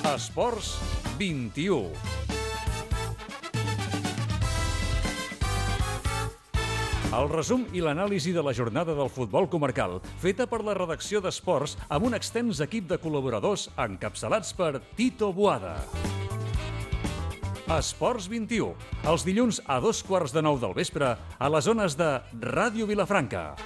Esports 21. El resum i l'anàlisi de la jornada del futbol comarcal, feta per la redacció d'Esports amb un extens equip de col·laboradors encapçalats per Tito Boada. Esports 21, els dilluns a 8:15 del vespre a les zones de Ràdio Vilafranca.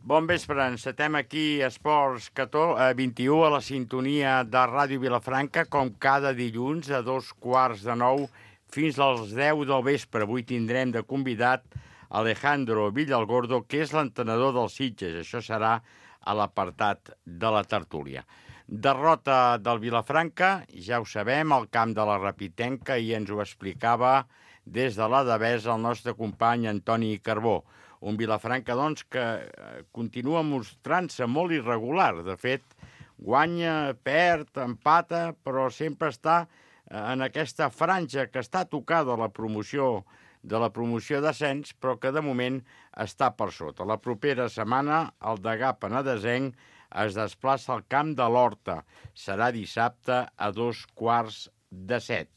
Bon vespre, encetem aquí Esports 21 a la sintonia de Ràdio Vilafranca, com cada dilluns a 8:15 fins als 10 del vespre. Avui tindrem de convidat Alejandro Villalgordo, que és l'entrenador dels Sitges. Això serà a l'apartat de la tertúlia. Derrota del Vilafranca, ja ho sabem, al camp de la Rapitenca, i ens ho explicava des de la Devesa el nostre company Antoni Carbó. Un Vilafranca, doncs, que continua mostrant-se molt irregular. De fet, guanya, perd, empata, però sempre està en aquesta franja que està tocada la promoció d'ascens, però que de moment està per sota. La propera setmana el Degà Penedesenc es desplaça al camp de l'Horta. Serà dissabte a 6:15.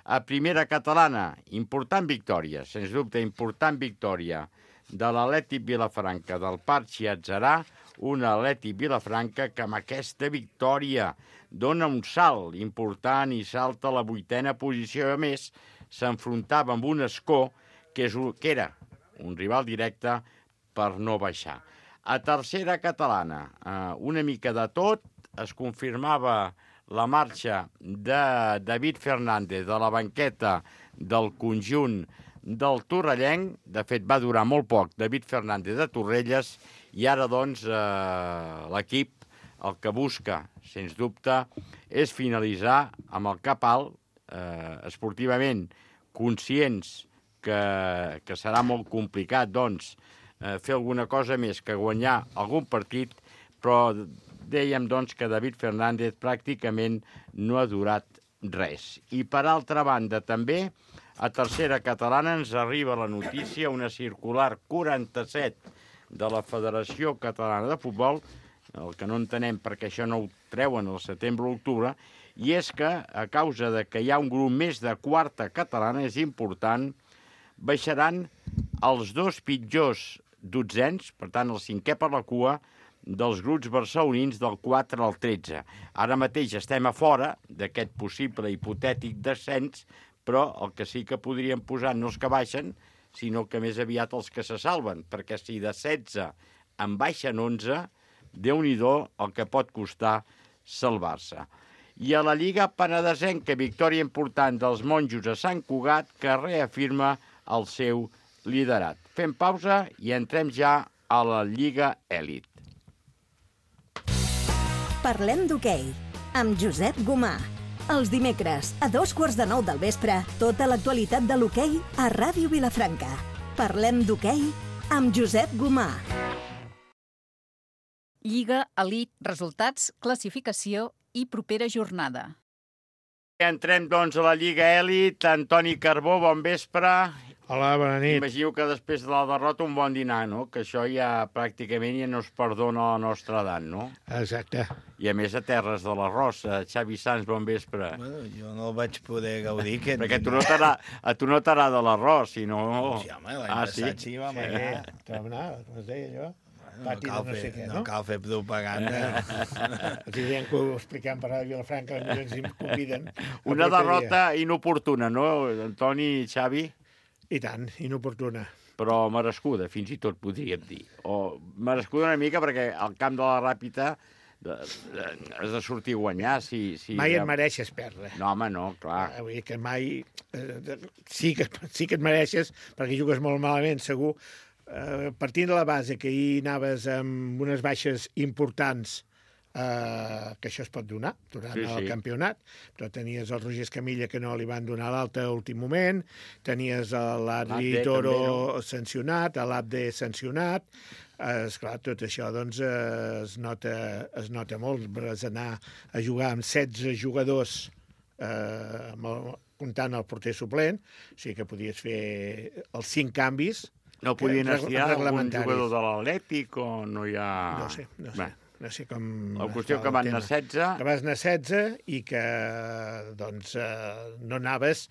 A primera catalana, important victòria, sens dubte important victòria de l'Atlètic Vilafranca, del Parchi Atzarà, un Atlètic Vilafranca que amb aquesta victòria dona un salt important i salta a la 8ª posició. A més, s'enfrontava amb un Escó, que era un rival directe per no baixar. A tercera catalana, una mica de tot, es confirmava la marxa de David Fernández de la banqueta del conjunt del Torrellenc. De fet, va durar molt poc David Fernández de Torrelles, i ara, doncs, l'equip el que busca, sens dubte, és finalitzar amb el cap alt, esportivament conscients que serà molt complicat, doncs, fer alguna cosa més que guanyar algun partit, però dèiem, doncs, que David Fernández pràcticament no ha durat res. I, per altra banda, també, a tercera catalana ens arriba la notícia, una circular 47 de la Federació Catalana de Futbol, el que no entenem perquè això no ho treuen al setembre o l'octubre, i és que, a causa de que hi ha un grup més de quarta catalana, és important, baixaran els dos pitjors dotzens, per tant, el 5è per la cua, dels grups barcelonins del 4 al 13. Ara mateix estem a fora d'aquest possible hipotètic descens, però el que sí que podríem posar no els que baixen, sinó que més aviat els que se salven, perquè si de 16 en baixen 11, Déu-n'hi-do el que pot costar salvar-se. I a la Lliga Penedesenca, victòria important dels monjos a Sant Cugat, que reafirma el seu liderat. Fem pausa i entrem ja a la Lliga Elit. Parlem d'hoquei, amb Josep Gomà. Els dimecres, a 8:15 del vespre, tota l'actualitat de l'hoquei a Ràdio Vilafranca. Parlem d'hoquei amb Josep Gomà. Lliga Elit, resultats, classificació i propera jornada. Entrem, doncs, a la Lliga Elit. Antoni Carbó, bon vespre. Hola, bona nit. Imagino que després de la derrota un bon dinar, no? Que això ja pràcticament ja no es perdona a la nostra edat, no? Exacte. I a més a terres de l'arròs. Xavi Sans, bon vespre. Bueno, jo no el vaig poder gaudir. Perquè a tu no t'agrada l'arròs, si no... Sí, home, l'any passat sí vam anar. Com es deia allò? No cal fer propaganda. Els diem que ho expliquem per Ràdio Vilafranca, ens hi conviden. Una derrota inoportuna, no, Antoni, Xavi? I tant, inoportuna. Però merescuda, fins i tot podríem dir. O merescuda una mica perquè al camp de la Ràpita has de sortir a guanyar. Mai et mereixes perdre. No, home, no, clar. Vull dir que mai... Sí que et mereixes, perquè jugues molt malament, segur. Partint de la base que ahir anaves amb unes baixes importants, que això es pot donar durant el campionat, però tenies el Roger Escamilla que no li van donar l'alta a l'últim moment, tenies l'Adri Toro sancionat, l'Abde sancionat. Esclar, tot això doncs es nota molt. Vas anar a jugar amb 16 jugadors comptant el porter suplent, o sigui que podies fer els 5 canvis. No podien estirar algun jugador de l'Atlètic o no hi ha... No sé. no sé com... La qüestió que van anar 16... Que vas anar 16 i que, doncs, no anaves...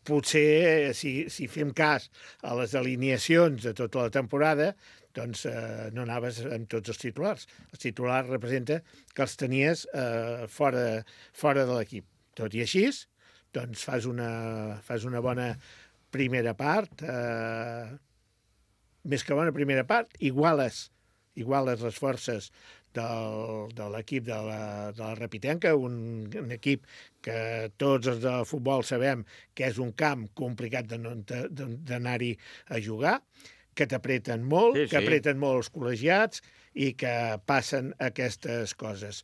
Potser, si fem cas a les alineacions de tota la temporada, doncs no anaves amb tots els titulars. Els titulars representa que els tenies fora de l'equip. Tot i així, doncs fas una bona primera part, més que bona primera part, iguales les forces de l'equip de la Repitenca, un equip que tots els de futbol sabem que és un camp complicat d'anar-hi a jugar, que t'apreten molt, que apreten molt els col·legiats i que passen aquestes coses.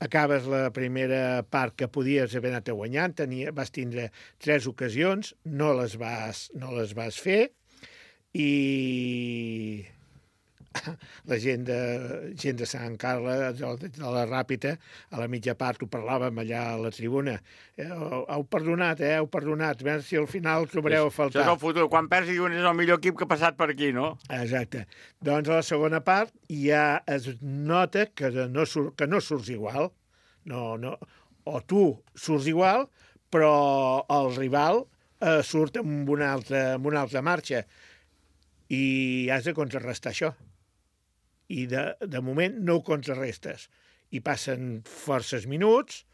Acabes la primera part que podies haver anat guanyant, vas tindre 3 ocasions, no les vas fer, i la gent de Sant Carles, de la Ràpita, a la mitja part ho parlàvem allà a la tribuna. Heu perdonat, heu perdonat. A veure si al final trobareu a faltar. Això és el futur. Quan perds diuen és el millor equip que ha passat per aquí, no? Exacte. Doncs a la segona part ja es nota que no surts igual. O tu surts igual, però el rival surt amb una altra marxa. I has de contrarrestar això. I de moment no ho contrarrestes. I passen forces minuts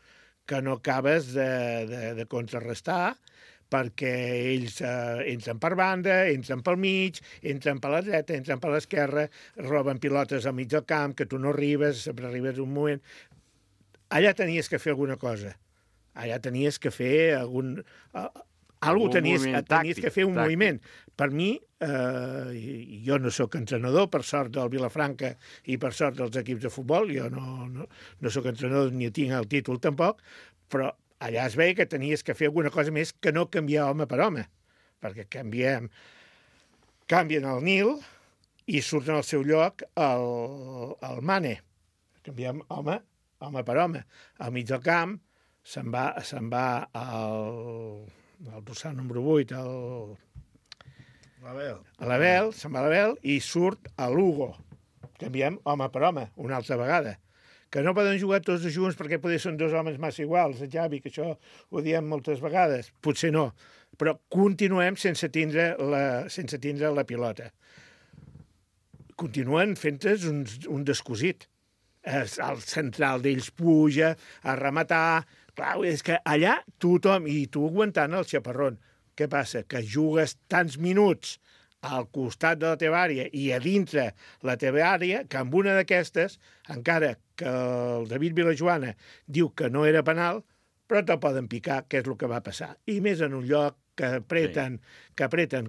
que no acabes de contrarrestar perquè ells entren per banda, entren pel mig, entren per la dreta, entren per l'esquerra, roben pilotes al mig del camp, que tu no arribes, sempre arribes un moment. Allà tenies que fer alguna cosa. Allà tenies que fer tenies que fer un moviment. Per mi, jo no sóc entrenador, per sort del Vilafranca i per sort dels equips de futbol, jo no sóc entrenador ni tinc el títol tampoc, però allà es veia que tenies que fer alguna cosa més que no canviar home per home, perquè canvien el Nil i surt en el seu lloc el Mane. Canviem home per home. Al mig del camp se'n va el dorsal número 8, l'Abel, se'n va l'Abel i surt a l'Hugo. Canviem home per home, una altra vegada. Que no poden jugar tots junts perquè potser són 2 homes massa iguals, Javi, que això ho diem moltes vegades. Potser no, però continuem sense tindre la pilota. Continuen fent-nos un descosit. El central d'ells puja a rematar. Clar, és que allà tothom, i tu aguantant el xaparrón. Què passa? Que jugues tants minuts al costat de la teva àrea i a dintre la teva àrea, que amb una d'aquestes, encara que el David Vilajoana diu que no era penal, però te'l poden picar, que és el que va passar. I més en un lloc que apreten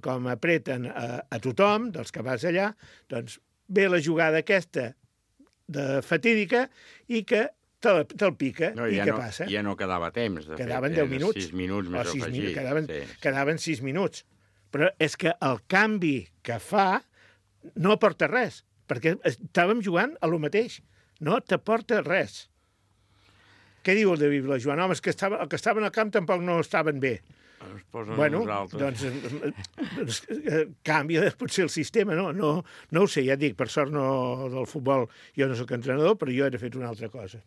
com apreten a tothom, dels que vas allà, doncs ve la jugada aquesta de fatídica i que te'l pica. I què passa? Ja no quedava temps. Quedaven 10 minuts. 6 minuts més afegits. Quedaven 6 minuts. Però és que el canvi que fa no aporta res, perquè estàvem jugant a lo mateix. No t'aporta res. Què diu el David Vilajoan? Home, és que els que estaven al camp tampoc no estaven bé. Bueno, doncs canvia potser el sistema, no ho sé, ja et dic, per sort del futbol jo no soc entrenador, però jo he fet una altra cosa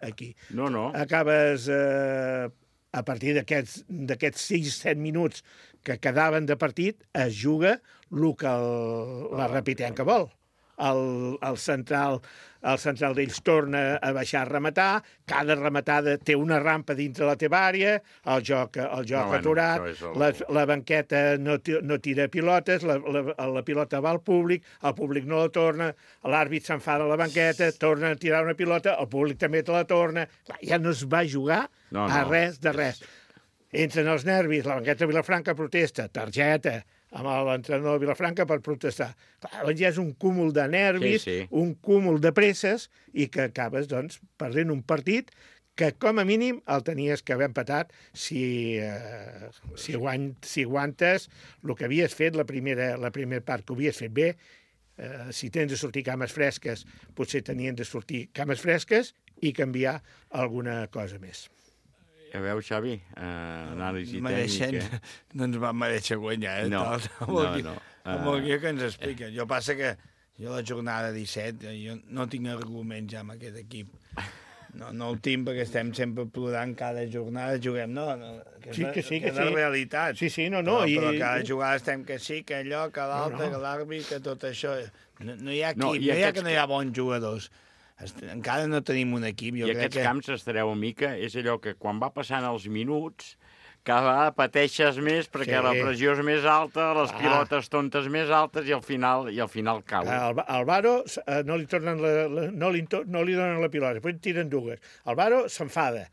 aquí. No. Acabes, a partir d'aquests 6-7 minuts que quedaven de partit, es juga el que la Repitenca vol. El central d'ells torna a baixar a rematar, cada rematada té una rampa dintre la teva àrea, el joc aturat, la banqueta no tira pilotes, la pilota va al públic, el públic no la torna, l'àrbit s'enfada a la banqueta, torna a tirar una pilota, el públic també te la torna. Ja no es va jugar a res de res. Entren els nervis, la banqueta de Vilafranca protesta, targeta, amb l'entrenador de Vilafranca per protestar. Clar, ja és un cúmul de nervis, un cúmul de presses, i que acabes, doncs, perdent un partit que, com a mínim, el tenies que haver empatat si aguantes el que havies fet, la primera part que ho havies fet bé. Si tens de sortir cames fresques, potser tenien de sortir cames fresques i canviar alguna cosa més. Ja veus, Xavi, anàlisi tècnica. No ens va mereixer guanyar, No. Amb el guia que ens explica. Jo passa que Jo la jornada 17, jo no tinc arguments ja amb aquest equip. No el tinc perquè estem sempre plorant cada jornada, juguem, sí, que és la realitat. Sí, Però cada jugada estem que sí, que allò, que l'altre, que l'àrbit, que tot això. No hi ha equip, no hi ha que no hi ha bons jugadors. Encara no tenim un equip. I aquests camps, estareu a mica, és allò que quan va passant els minuts, cada vegada pateixes més perquè la pressió és més alta, les pilotes tontes més altes i al final cau. Al Varo no li donen la pilota, després tiren dues. El Varo s'enfada,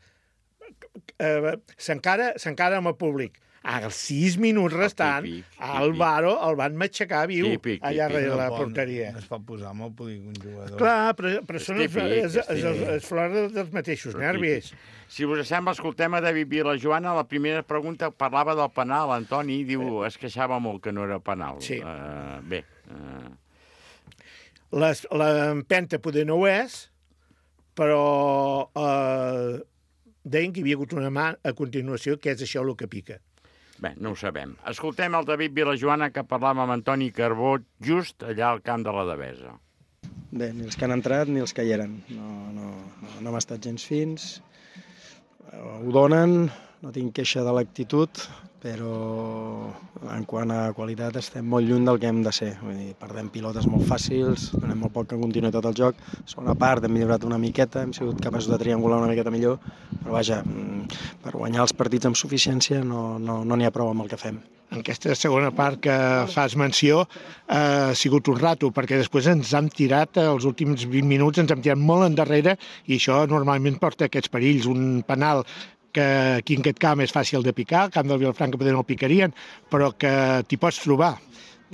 s'encara amb el públic. Als 6 minuts restant, el Varo el van matxacar viu allà darrere la porteria. No es pot posar molt polígon jugador. Clar, però són els flors dels mateixos nervis. Si us sembla, escoltem a David Vilajoana. La primera pregunta parlava del penal. Antoni diu, es queixava molt que no era penal. Sí. Bé. L'empenta poder no ho és, però deien que hi havia hagut una mà a continuació, que és això el que pica. Bé, no ho sabem. Escoltem el David Vilajoana, que parlava amb Antoni Carbó just allà al camp de la Devesa. Bé, ni els que han entrat ni els que hi eren. No hem estat gens fins. Ho donen, no tinc queixa de l'actitud, però en quant a qualitat estem molt lluny del que hem de ser. Vull dir, perdem pilotes molt fàcils, donem molt poc en continuïtat al joc. Segona part hem millorat una miqueta, hem sigut capaços de triangular una miqueta millor, però vaja, per guanyar els partits amb suficiència no n'hi ha prou amb el que fem. En aquesta segona part que fas menció ha sigut un rato, perquè després ens hem tirat, els últims 20 minuts ens hem tirat molt endarrere i això normalment porta aquests perills. Un penal que aquí en aquest camp és fàcil de picar, al camp del Vilafranca poder no el picarien, però que t'hi pots trobar.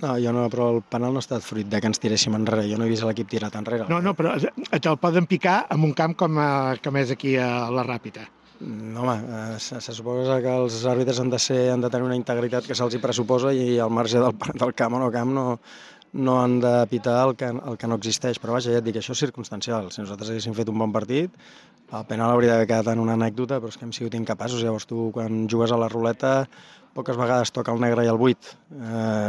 No, però el penal no ha estat fruit de que ens tiréssim enrere. Jo no he vist l'equip tirat enrere. No, però te'l poden picar en un camp com és aquí a la Ràpita. No, home, se suposa que els àrbitres han de tenir una integritat que se'ls hi pressuposa i al marge del camp o no camp no han de pitar el que no existeix. Però vaja, ja et dic, això és circumstancial. Si nosaltres haguéssim fet un bon partit, el penal hauria d'haver quedat en una anècdota, però és que hem sigut incapaços. Llavors tu, quan jugues a la ruleta, poques vegades toca el negre i el 8.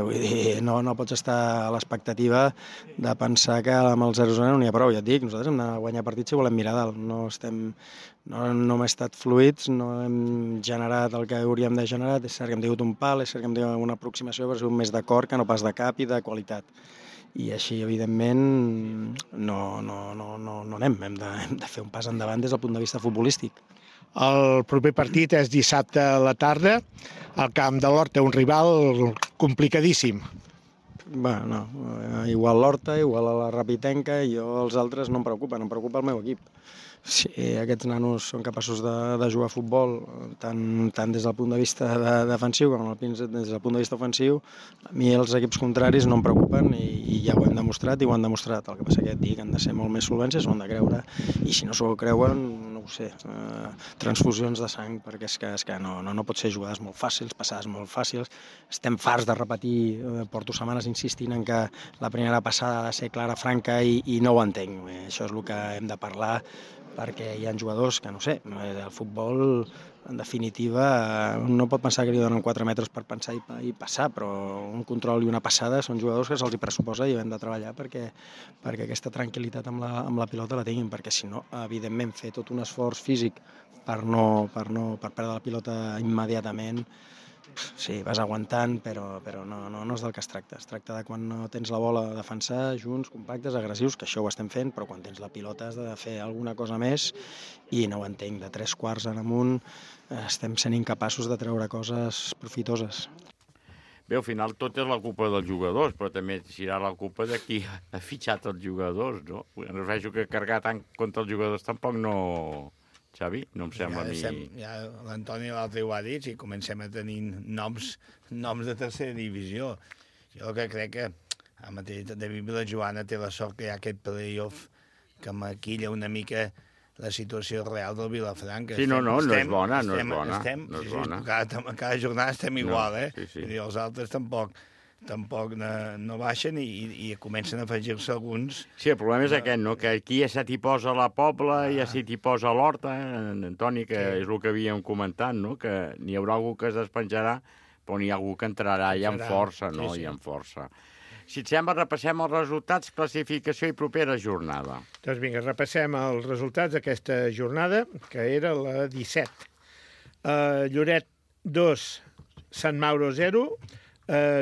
Vull dir, no pots estar a l'expectativa de pensar que amb el 0-0 no n'hi ha prou. Ja et dic, nosaltres hem de guanyar partits si volem mirar dalt. No hem estat fluids, no hem generat el que hauríem de generar. És cert que hem tingut un pal, és cert que hem tingut una aproximació, però ha sigut més de cor que no pas de cap i de qualitat. I així, evidentment, no anem. Hem de fer un pas endavant des del punt de vista futbolístic. El proper partit és dissabte a la tarda, al camp de l'Horta, un rival complicadíssim. Bé, no, igual l'Horta, igual a la Rapitenca, i els altres no em preocupen, em preocupa el meu equip. Si aquests nanos són capaços de jugar a futbol, tant des del punt de vista defensiu com des del punt de vista ofensiu, a mi els equips contraris no em preocupen i ja ho hem demostrat i ho han demostrat. El que passa que et dic, han de ser molt més solvents, s'ho han de creure, i si no s'ho creuen, no ho sé, transfusions de sang, perquè és que no pot ser jugades molt fàcils, passades molt fàcils. Estem farts de repetir, porto setmanes insistint en que la primera passada ha de ser clara, franca, i no ho entenc. Això és el que hem de parlar, perquè hi ha jugadors que, no sé, el futbol, en definitiva, no pot pensar que li donen 4 metres per pensar i passar, però un control i una passada són jugadors que se'ls hi pressuposa i hem de treballar perquè aquesta tranquil·litat amb la pilota la tinguin, perquè si no, evidentment, fer tot un esforç físic per perdre la pilota immediatament, sí, vas aguantant, però no és del que es tracta. Es tracta de quan no tens la bola de defensar, junts, compactes, agressius, que això ho estem fent, però quan tens la pilota has de fer alguna cosa més i no ho entenc. De 3 quarts en amunt estem sent incapaços de treure coses profitoses. Bé, al final tot és la culpa dels jugadors, però també serà la culpa de qui ha fitxat els jugadors, no? No veig que carregar tant contra els jugadors tampoc no... Xavi, no em sembla a mi... Ja l'Antoni l'altre ho ha dit, si comencem a tenir noms de tercera divisió. Jo el que crec que el mateix David Vilajoana té la sort que hi ha aquest play-off que maquilla una mica la situació real del Vilafranca. Sí, no és bona. Cada jornada estem igual, Sí. I els altres tampoc no baixen i comencen a afegir-se alguns... Sí, el problema és aquest, no? Que aquí ja se t'hi posa la Pobla, ja se t'hi posa l'Horta, Antoni, que és el que havíem comentat, no? Que n'hi haurà algú que es despenjarà, però n'hi ha algú que entrarà ja amb força, no? I amb força. Si et sembla, repassem els resultats, classificació i propera jornada. Doncs vinga, repassem els resultats d'aquesta jornada, que era la 17. Lloret 2, Sant Mauro 0,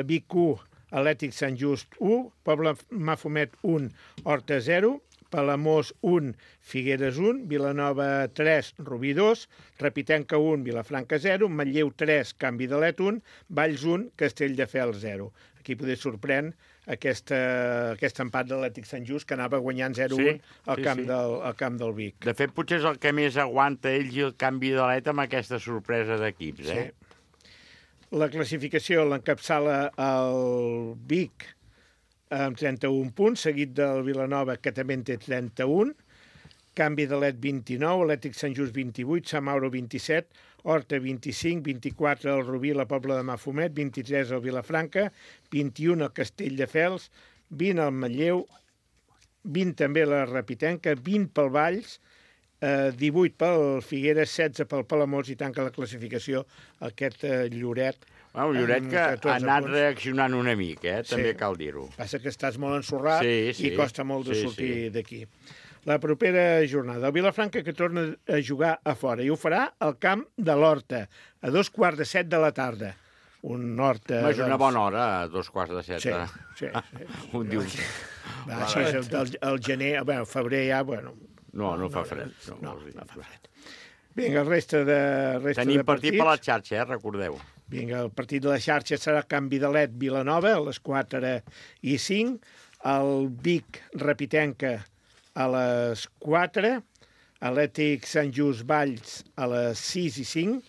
Vic 1, Atlètic Sant Just 1, Poble Mafumet 1, Horta 0, Palamós 1, Figueres 1, Vilanova 3, Rubí 2, Repitenca 1, Vilafranca 0, Manlleu 3, Canvi d'Alet 1, Valls 1, Castelldefels 0. Aquí poder sorprèn aquest empat de l'Atlètic Sant Just, que anava guanyant 0-1 al camp del Vic. De fet, potser és el que més aguanta ells i el Canvi d'Alet amb aquesta sorpresa d'equips, eh? Sí. La classificació l'encapçala el Vic amb 31 punts, seguit del Vilanova, que també en té 31, Canvi d'Alet 29, Atlètic Sant Just 28, Sant Mauro 27, Horta 25, 24 el Rubí, la Pobla de Mafumet, 23 el Vilafranca, 21 el Castelldefels, 20 el Manlleu, 20 també la Repitenca, 20 pel Valls, 18 pel Figueres, 16 pel Palamós i tanca la classificació aquest Lloret. Bueno, Lloret que ha anat reaccionant una mica, també cal dir-ho. Passa que estàs molt ensorrat i costa molt de sortir d'aquí. La propera jornada, el Vilafranca que torna a jugar a fora i ho farà al camp de l'Horta, a 2:15 de la tarda. Un Horta... És una bona hora, a 2:15. Sí. Un diumenge. Així és el gener, bueno, febrer ja, bueno... No fa fred. No fa fred. Vinga, el resta de partits... Tenim partit per la xarxa, recordeu. Vinga, el partit de la xarxa serà Canvi d'Alet Vilanova a les 4:05, el Vic Repitenca a les 4, Atlètic Sant Just Valls a les 6:05,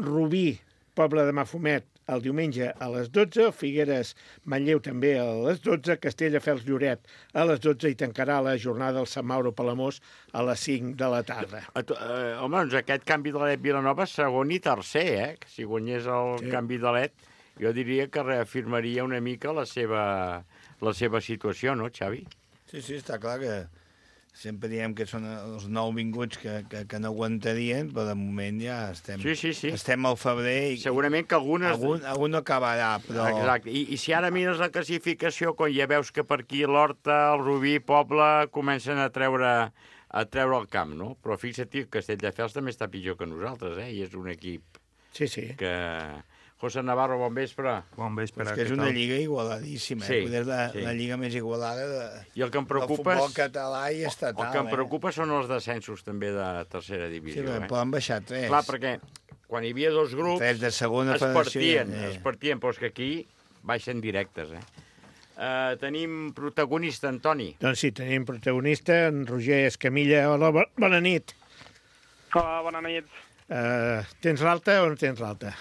Rubí Poble de Mafumet el diumenge a les 12, Figueres Manlleu també a les 12, Castelldefels Lloret a les 12 i tancarà la jornada el Sant Mauro Palamós a les 5 de la tarda. Home, doncs aquest Canvi d'Alet Vilanova segon i tercer, Si guanyés el Canvi d'Alet, jo diria que reafirmaria una mica la seva situació, no, Xavi? Sí, està clar que sempre diem que són els nouvinguts que no aguantarien, però de moment ja estem... Sí. Estem al febrer i... Segurament que algunes... Algun acabarà, però... Exacte. I si ara mires la classificació, quan ja veus que per aquí l'Horta, el Rubí, Poble, comencen a treure el camp, no? Però fixa't que Castelldefels també està pitjor que nosaltres, I és un equip que... José Navarro, bon vespre. Bon vespre. És que és una lliga igualadíssima, Sí. La lliga més igualada I el que em preocupa del futbol català i estatal. El que em preocupa són els descensos també de tercera divisió. Sí, però han baixat 3. Clar, perquè quan hi havia 2 grups 3 de segona federació, es partien, però és que aquí baixen directes, Tenim protagonista, Antoni. Doncs sí, tenim protagonista, en Roger Escamilla. Hola, bona nit. Hola, bona nit. Tens l'alta o no tens l'alta?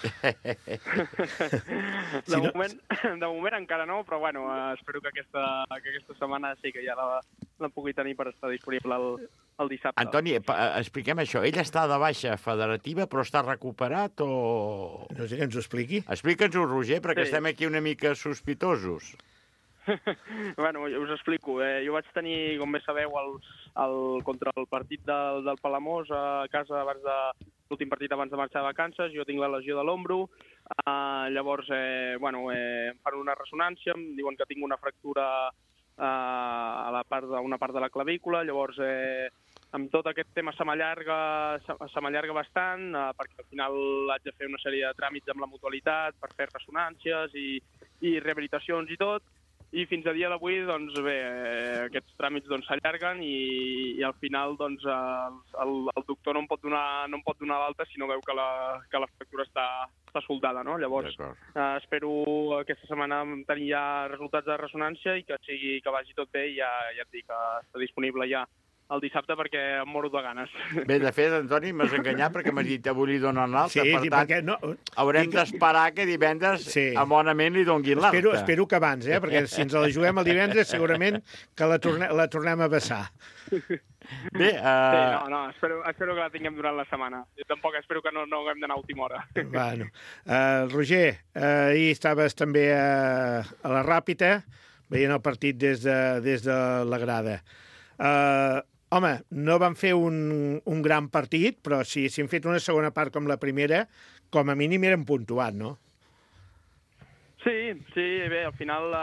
De moment encara no, però bueno, espero que aquesta setmana sí que ja la pugui tenir per estar disponible el dissabte. Antoni, expliquem això. Ell està de baixa federativa, però està recuperat o... No sé que ens ho expliqui. Explica'ns-ho, Roger, perquè estem aquí una mica sospitosos. Bueno, us explico. Jo vaig tenir, com bé sabeu, contra el partit del Palamós a casa abans de l'últim partit abans de marxar de vacances. Jo tinc la lesió de l'ombro. Llavors, em fan una ressonància, em diuen que tinc una fractura a una part de la clavícula. Llavors, amb tot aquest tema se m'allarga bastant, perquè al final haig de fer una sèrie de tràmits amb la mutualitat per fer ressonàncies i rehabilitacions i tot. I fins a dia d'avui, doncs bé, aquests tràmits s'allarguen i al final doncs, el doctor no em pot donar l'alta si no veu que la fractura està soldada, no? Llavors, espero aquesta setmana tenir ja resultats de ressonància i que vagi tot bé i ja et dic que està disponible ja el dissabte perquè em moro de ganes. Bé, de fet, Antoni, m'has enganyat perquè m'has dit avui li donen l'alta, per tant, haurem d'esperar que divendres amonament li donguin l'alta. Espero que abans, perquè si ens la juguem el divendres segurament que la tornem a vessar. Bé, espero que la tinguem durant la setmana. Jo tampoc espero que no haguem d'anar a última hora. Bueno, Roger, ahir estaves també a la Ràpita veient el partit des de la grada. Home, no van fer un gran partit, però si hem fet una segona part com la primera, com a mínim eren puntuat, no? Sí, bé, al final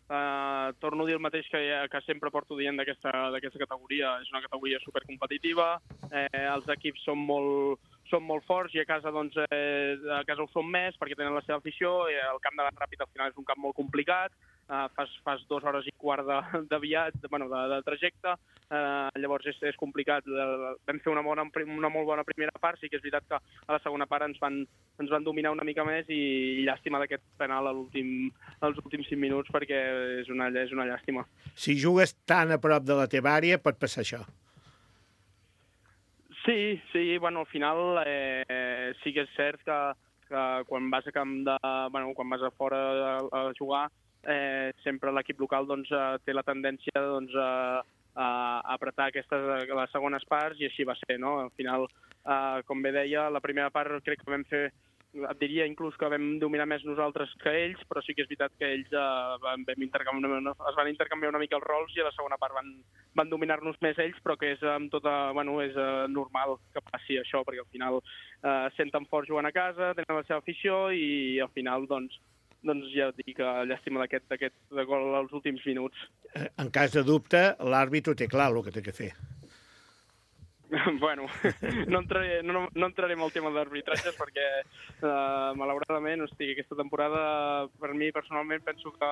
torno a dir el mateix que sempre porto dient d'aquesta categoria. És una categoria supercompetitiva, els equips són molt forts i a casa ho són més perquè tenen la seva afició. El camp de la Ràpid al final és un camp molt complicat, fas 2 hores i quart de viatge, de trajecte, llavors és complicat. Vam fer una molt bona primera part, sí que és veritat que a la segona part ens van dominar una mica més i llàstima d'aquest penal als últims 5 minuts perquè és una llàstima. Si jugues tan a prop de la teva àrea pot passar això. Sí, al final sí que és cert que quan vas quan vas a fora a jugar, sempre l'equip local té la tendència a apretar les segones parts i així va ser, no? Al final, com bé deia, la primera part crec que vam fer, et diria inclús que vam dominar més nosaltres que ells, però sí que és veritat que ells es van intercanviar una mica els rols i a la segona part van dominar-nos més ells, però que és és normal que passi això, perquè al final senten fort jugant a casa, tenen la seva afició i al final doncs ja et dic, llàstima d'aquest gol als últims minuts. En cas de dubte, l'àrbit ho té clar, el que té que fer. Bueno, no entraré en el tema d'arbitratges perquè malauradament, aquesta temporada per mi personalment penso que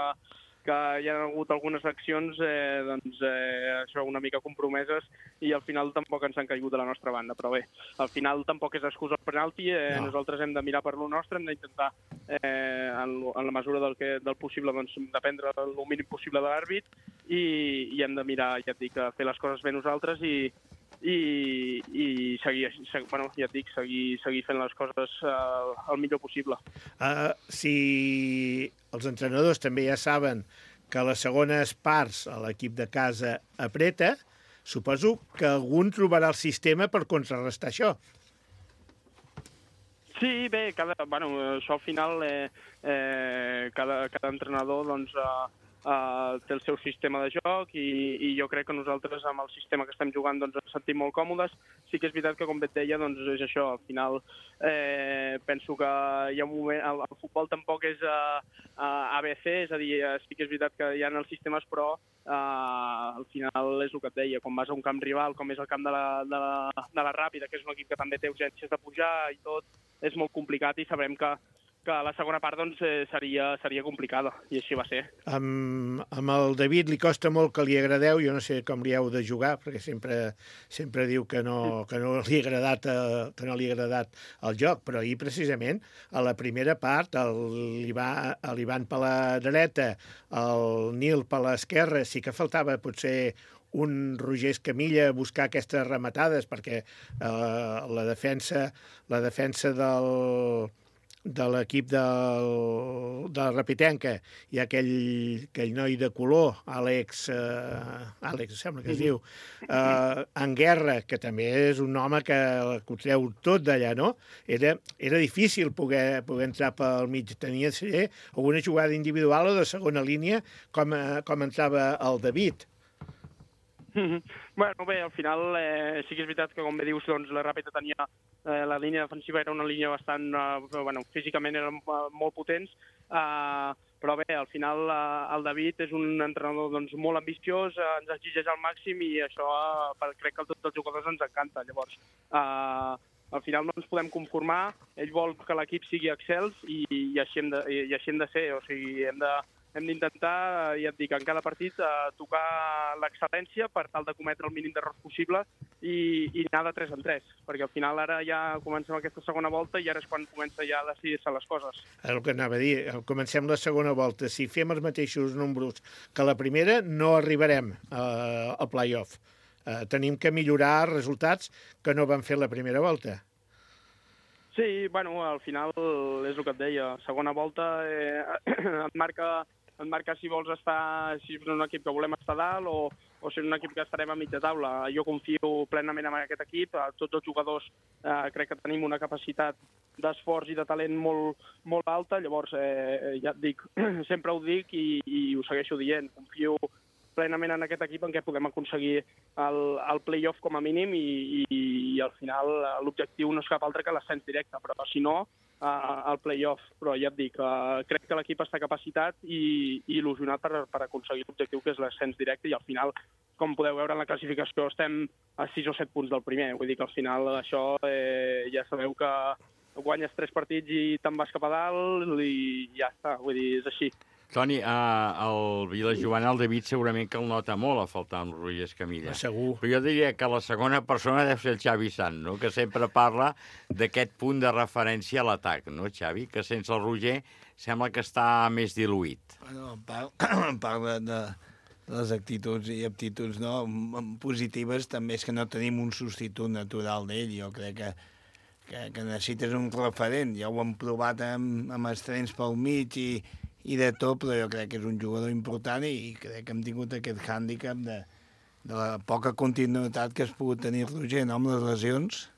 hi ha hagut algunes accions això una mica compromeses i al final tampoc ens han caigut de la nostra banda, però bé, al final tampoc és excusa el penalti, no. Nosaltres hem de mirar per lo nostre, hem d'intentar en la mesura del possible dependre el mínim possible de l'àrbit i hem de mirar, ja et dic, fer les coses bé nosaltres i seguir fent les coses el millor possible. Si els entrenadors també ja saben que a les segones parts l'equip de casa apreta, suposo que algun trobarà el sistema per contrarrestar això. Sí, bé, això al final cada entrenador té el seu sistema de joc i jo crec que nosaltres amb el sistema que estem jugant ens sentim molt còmodes. Sí que és veritat que, com bé et deia, és això. Al final penso que hi ha un moment... El futbol tampoc és ABC, és a dir, sí que és veritat que hi ha els sistemes, però al final és el que et deia. Quan vas a un camp rival, com és el camp de la Ràpida, que és un equip que també té urgències de pujar i tot, és molt complicat i sabrem que la segona part seria complicada, i així va ser. Amb el David li costa molt que li agradeu, jo no sé com li heu de jugar, perquè sempre diu que no li ha agradat el joc, però ahir precisament a la primera part l'Ivan per la dreta, el Nil per l'esquerra, sí que faltava potser un Roger Escamilla a buscar aquestes rematades, perquè la defensa de l'equip de la Rapitenca i aquell noi de color, Àlex, sembla que es diu, en Guerra, que també és un home que ho treu tot d'allà, no? Era difícil poder entrar pel mig. Tenia de ser alguna jugada individual o de segona línia, com entrava el David. Bueno, bé, al final sí que és veritat que, com bé dius, la Ràpita tenia la línia defensiva, era una línia bastant... físicament eren molt potents, però bé, al final el David és un entrenador molt ambiciós, ens exigeix al màxim i això crec que a tots els jugadors ens encanta. Llavors, al final no ens podem conformar, ell vol que l'equip sigui excels i així hem de ser, o sigui, hem d'intentar, ja et dic, en cada partit tocar l'excel·lència per tal de cometre el mínim d'errors possible i anar de 3 en 3, perquè al final ara ja comencem aquesta segona volta i ara és quan comença ja a decidir-se les coses. El que anava a dir, comencem la segona volta. Si fem els mateixos números que la primera, no arribarem al play-off. Tenim que millorar resultats que no van fer la primera volta. Sí, al final és el que et deia. Segona volta et marca si vols estar, si és un equip que volem estar dalt o si és un equip que estarem a mitja taula. Jo confio plenament en aquest equip. Tots els jugadors crec que tenim una capacitat d'esforç i de talent molt alta. Llavors, ja et dic, sempre ho dic i ho segueixo dient. Confio plenament en aquest equip en què podem aconseguir el play-off com a mínim i al final l'objectiu no és cap altre que l'ascens directe, però si no, el play-off. Però ja et dic, crec que l'equip està capacitat i il·lusionat per aconseguir l'objectiu que és l'ascens directe i al final, com podeu veure en la classificació, estem a 6 o 7 punts del primer. Vull dir que al final això ja sabeu que guanyes 3 partits i te'n vas cap a dalt i ja està, vull dir, és així. Toni, el vilajoana, el David, segurament que el nota molt a faltar amb Roger Escamilla. Segur. Però jo diria que la segona persona deu ser el Xavi Sant, no? Que sempre parla d'aquest punt de referència a l'atac, no, Xavi? Que sense el Roger sembla que està més diluït. Bueno, parla de les actituds i aptituds positives, també és que no tenim un substitut natural d'ell. Jo crec que necessites un referent. Ja ho hem provat amb estrenes pel mig i de tot, però jo crec que és un jugador important i crec que hem tingut aquest hàndicap de la poca continuïtat que has pogut tenir Roger, no?, amb les lesions.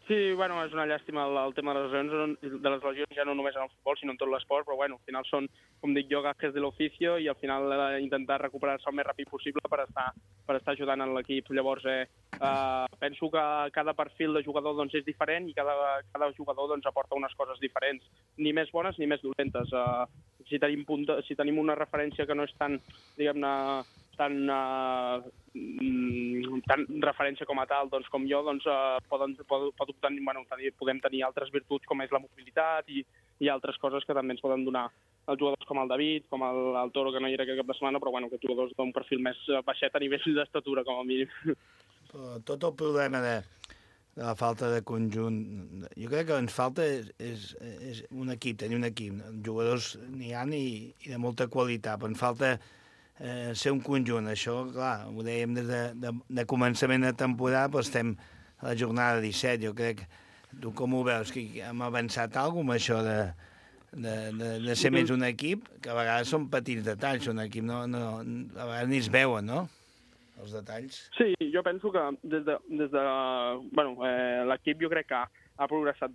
Sí, bueno, és una llàstima el tema de les lesions, ja no només en el futbol, sinó en tot l'esport, però bueno, al final són, com dic jo, gajes de l'oficio i al final intentar recuperar-se el més ràpid possible per estar ajudant en l'equip. Llavors, penso que cada perfil de jugador doncs, és diferent i cada jugador doncs, aporta unes coses diferents, ni més bones ni més dolentes. Si tenim una referència que no és tan, diguem-ne, tan referència com a tal doncs, com jo, doncs, podem tenir altres virtuts com és la mobilitat i altres coses que també ens poden donar els jugadors com el David, com el Toro, que no hi era aquest cap de setmana, però bueno, aquests jugadors d'un perfil més baixet a nivell d'estatura, com a mínim. Però tot el problema de la falta de conjunt, jo crec que ens falta és un equip, tenir un equip. Jugadors n'hi ha i de molta qualitat, però ens falta ser un conjunt. Això, clar, ho dèiem des de començament de temporada, però estem a la jornada 17. Jo crec, tu com ho veus, que hem avançat alguna cosa amb això de ser més un equip, que a vegades són petits detalls, un equip a vegades ni es veuen, no?, els detalls. Sí, jo penso que des de l'equip jo crec que ha progressat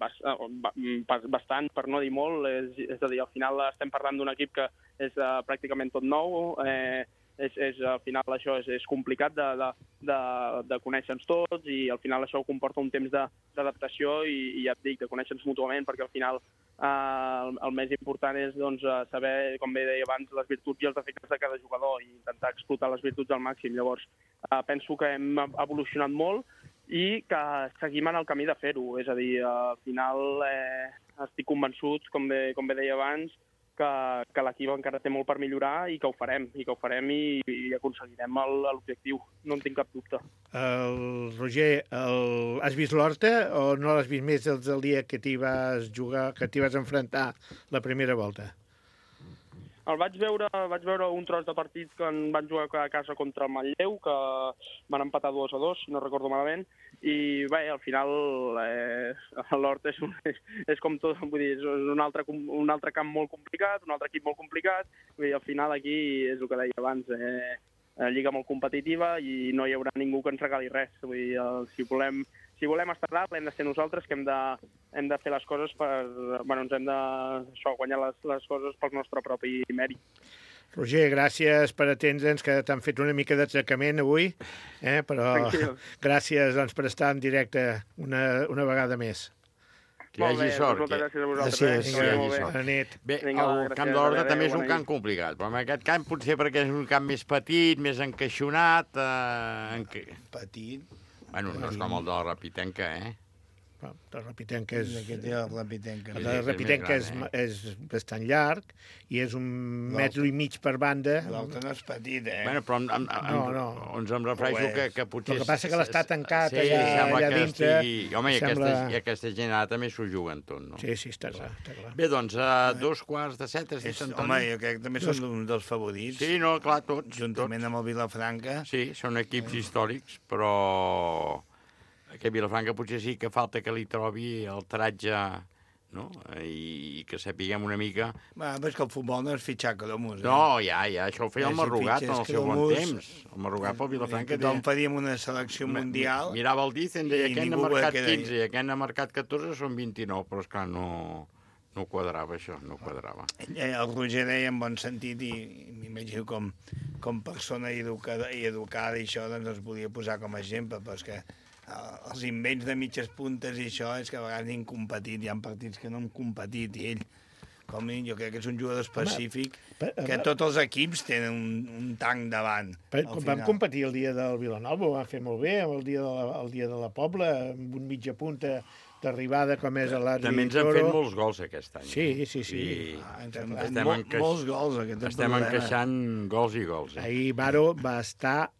bastant, per no dir molt. És a dir, al final estem parlant d'un equip que és pràcticament tot nou. Al final això és complicat de conèixer-nos tots i al final això comporta un temps d'adaptació i ja et dic, de conèixer-nos mútuament, perquè al final el més important és doncs, saber, com bé deia abans, les virtuts i els defectes de cada jugador i intentar explotar les virtuts al màxim. Llavors, penso que hem evolucionat molt i que seguim en el camí de fer-ho. És a dir, al final estic convençut, com bé deia abans, que l'equip encara té molt per millorar i que ho farem i aconseguirem l'objectiu. No en tinc cap dubte. Roger, has vist l'Horta o no l'has vist més des del dia que t'hi vas jugar, que t'hi vas enfrontar la primera volta? El vaig veure un tros de partit que en van jugar a casa contra el Manlleu, que van empatar 2-2, si no recordo malament, i bé, al final l'Horta és com tot, vull dir, és un altre camp molt complicat, un altre equip molt complicat, vull dir, al final aquí és el que deia abans, lliga molt competitiva i no hi haurà ningú que ens regali res. Vull dir, si volem estar dalt, hem de ser nosaltres que hem de fer les coses ens hem de guanyar les coses pel nostre propi mèrit. Roger, gràcies per atendre'ns, que t'han fet una mica d'atracament avui, però tranquil. Gràcies per estar en directe una vegada més. Que hi hagi sort. Moltes gràcies a vosaltres. Bona nit. Bé, el camp de l'Horta també és un camp complicat, però en aquest camp potser perquè és un camp més petit, més encaixonat. Petit? Bueno, no és com el de la Rapitenca, La Rapitenca La Rapitenca és bastant llarg i és 1,5 metres per banda. L'altre no és petit, Bueno, però ens em refereixo que potser... El que passa que l'està tancat allà dintre. Home, i aquesta gent ara també s'ho juguen tot, no? Sí, està clar. Bé, doncs, a 2:15, Home, jo crec que també són un dels favorits. Sí, no, clar, tots. Juntament amb el Vilafranca. Sí, són equips històrics, però... que Vilafranca potser sí que falta que li trobi el taratge, no? I que sapiguem una mica... Però és que el futbol no és fitxar cromos. No, ja, això ho feia el Marrugat en el seu bon temps. El Marrugat pel Vilafranca... Tothom faríem una selecció mundial... Mirava el Dicen, deia que n'ha marcat 15 i aquest n'ha marcat 14, són 29, però esclar, no No quadrava, això, no quadrava. El Roger deia en bon sentit, i m'imagino com persona educada i això, doncs es podia posar com a exemple, però és que els invents de mitges puntes i això és que a vegades han competit, hi ha partits que no han competit, i ell, com jo crec que és un jugador específic, que tots els equips tenen un tanc davant. Quan vam competir el dia del Vilanova, ho vam fer molt bé, el dia de la Pobla, amb un mitja punta d'arribada com és l'Adri Toro. També ens han fet molts gols aquest any. Sí. Molts gols. Estem encaixant gols i gols. Ahir Baro va estar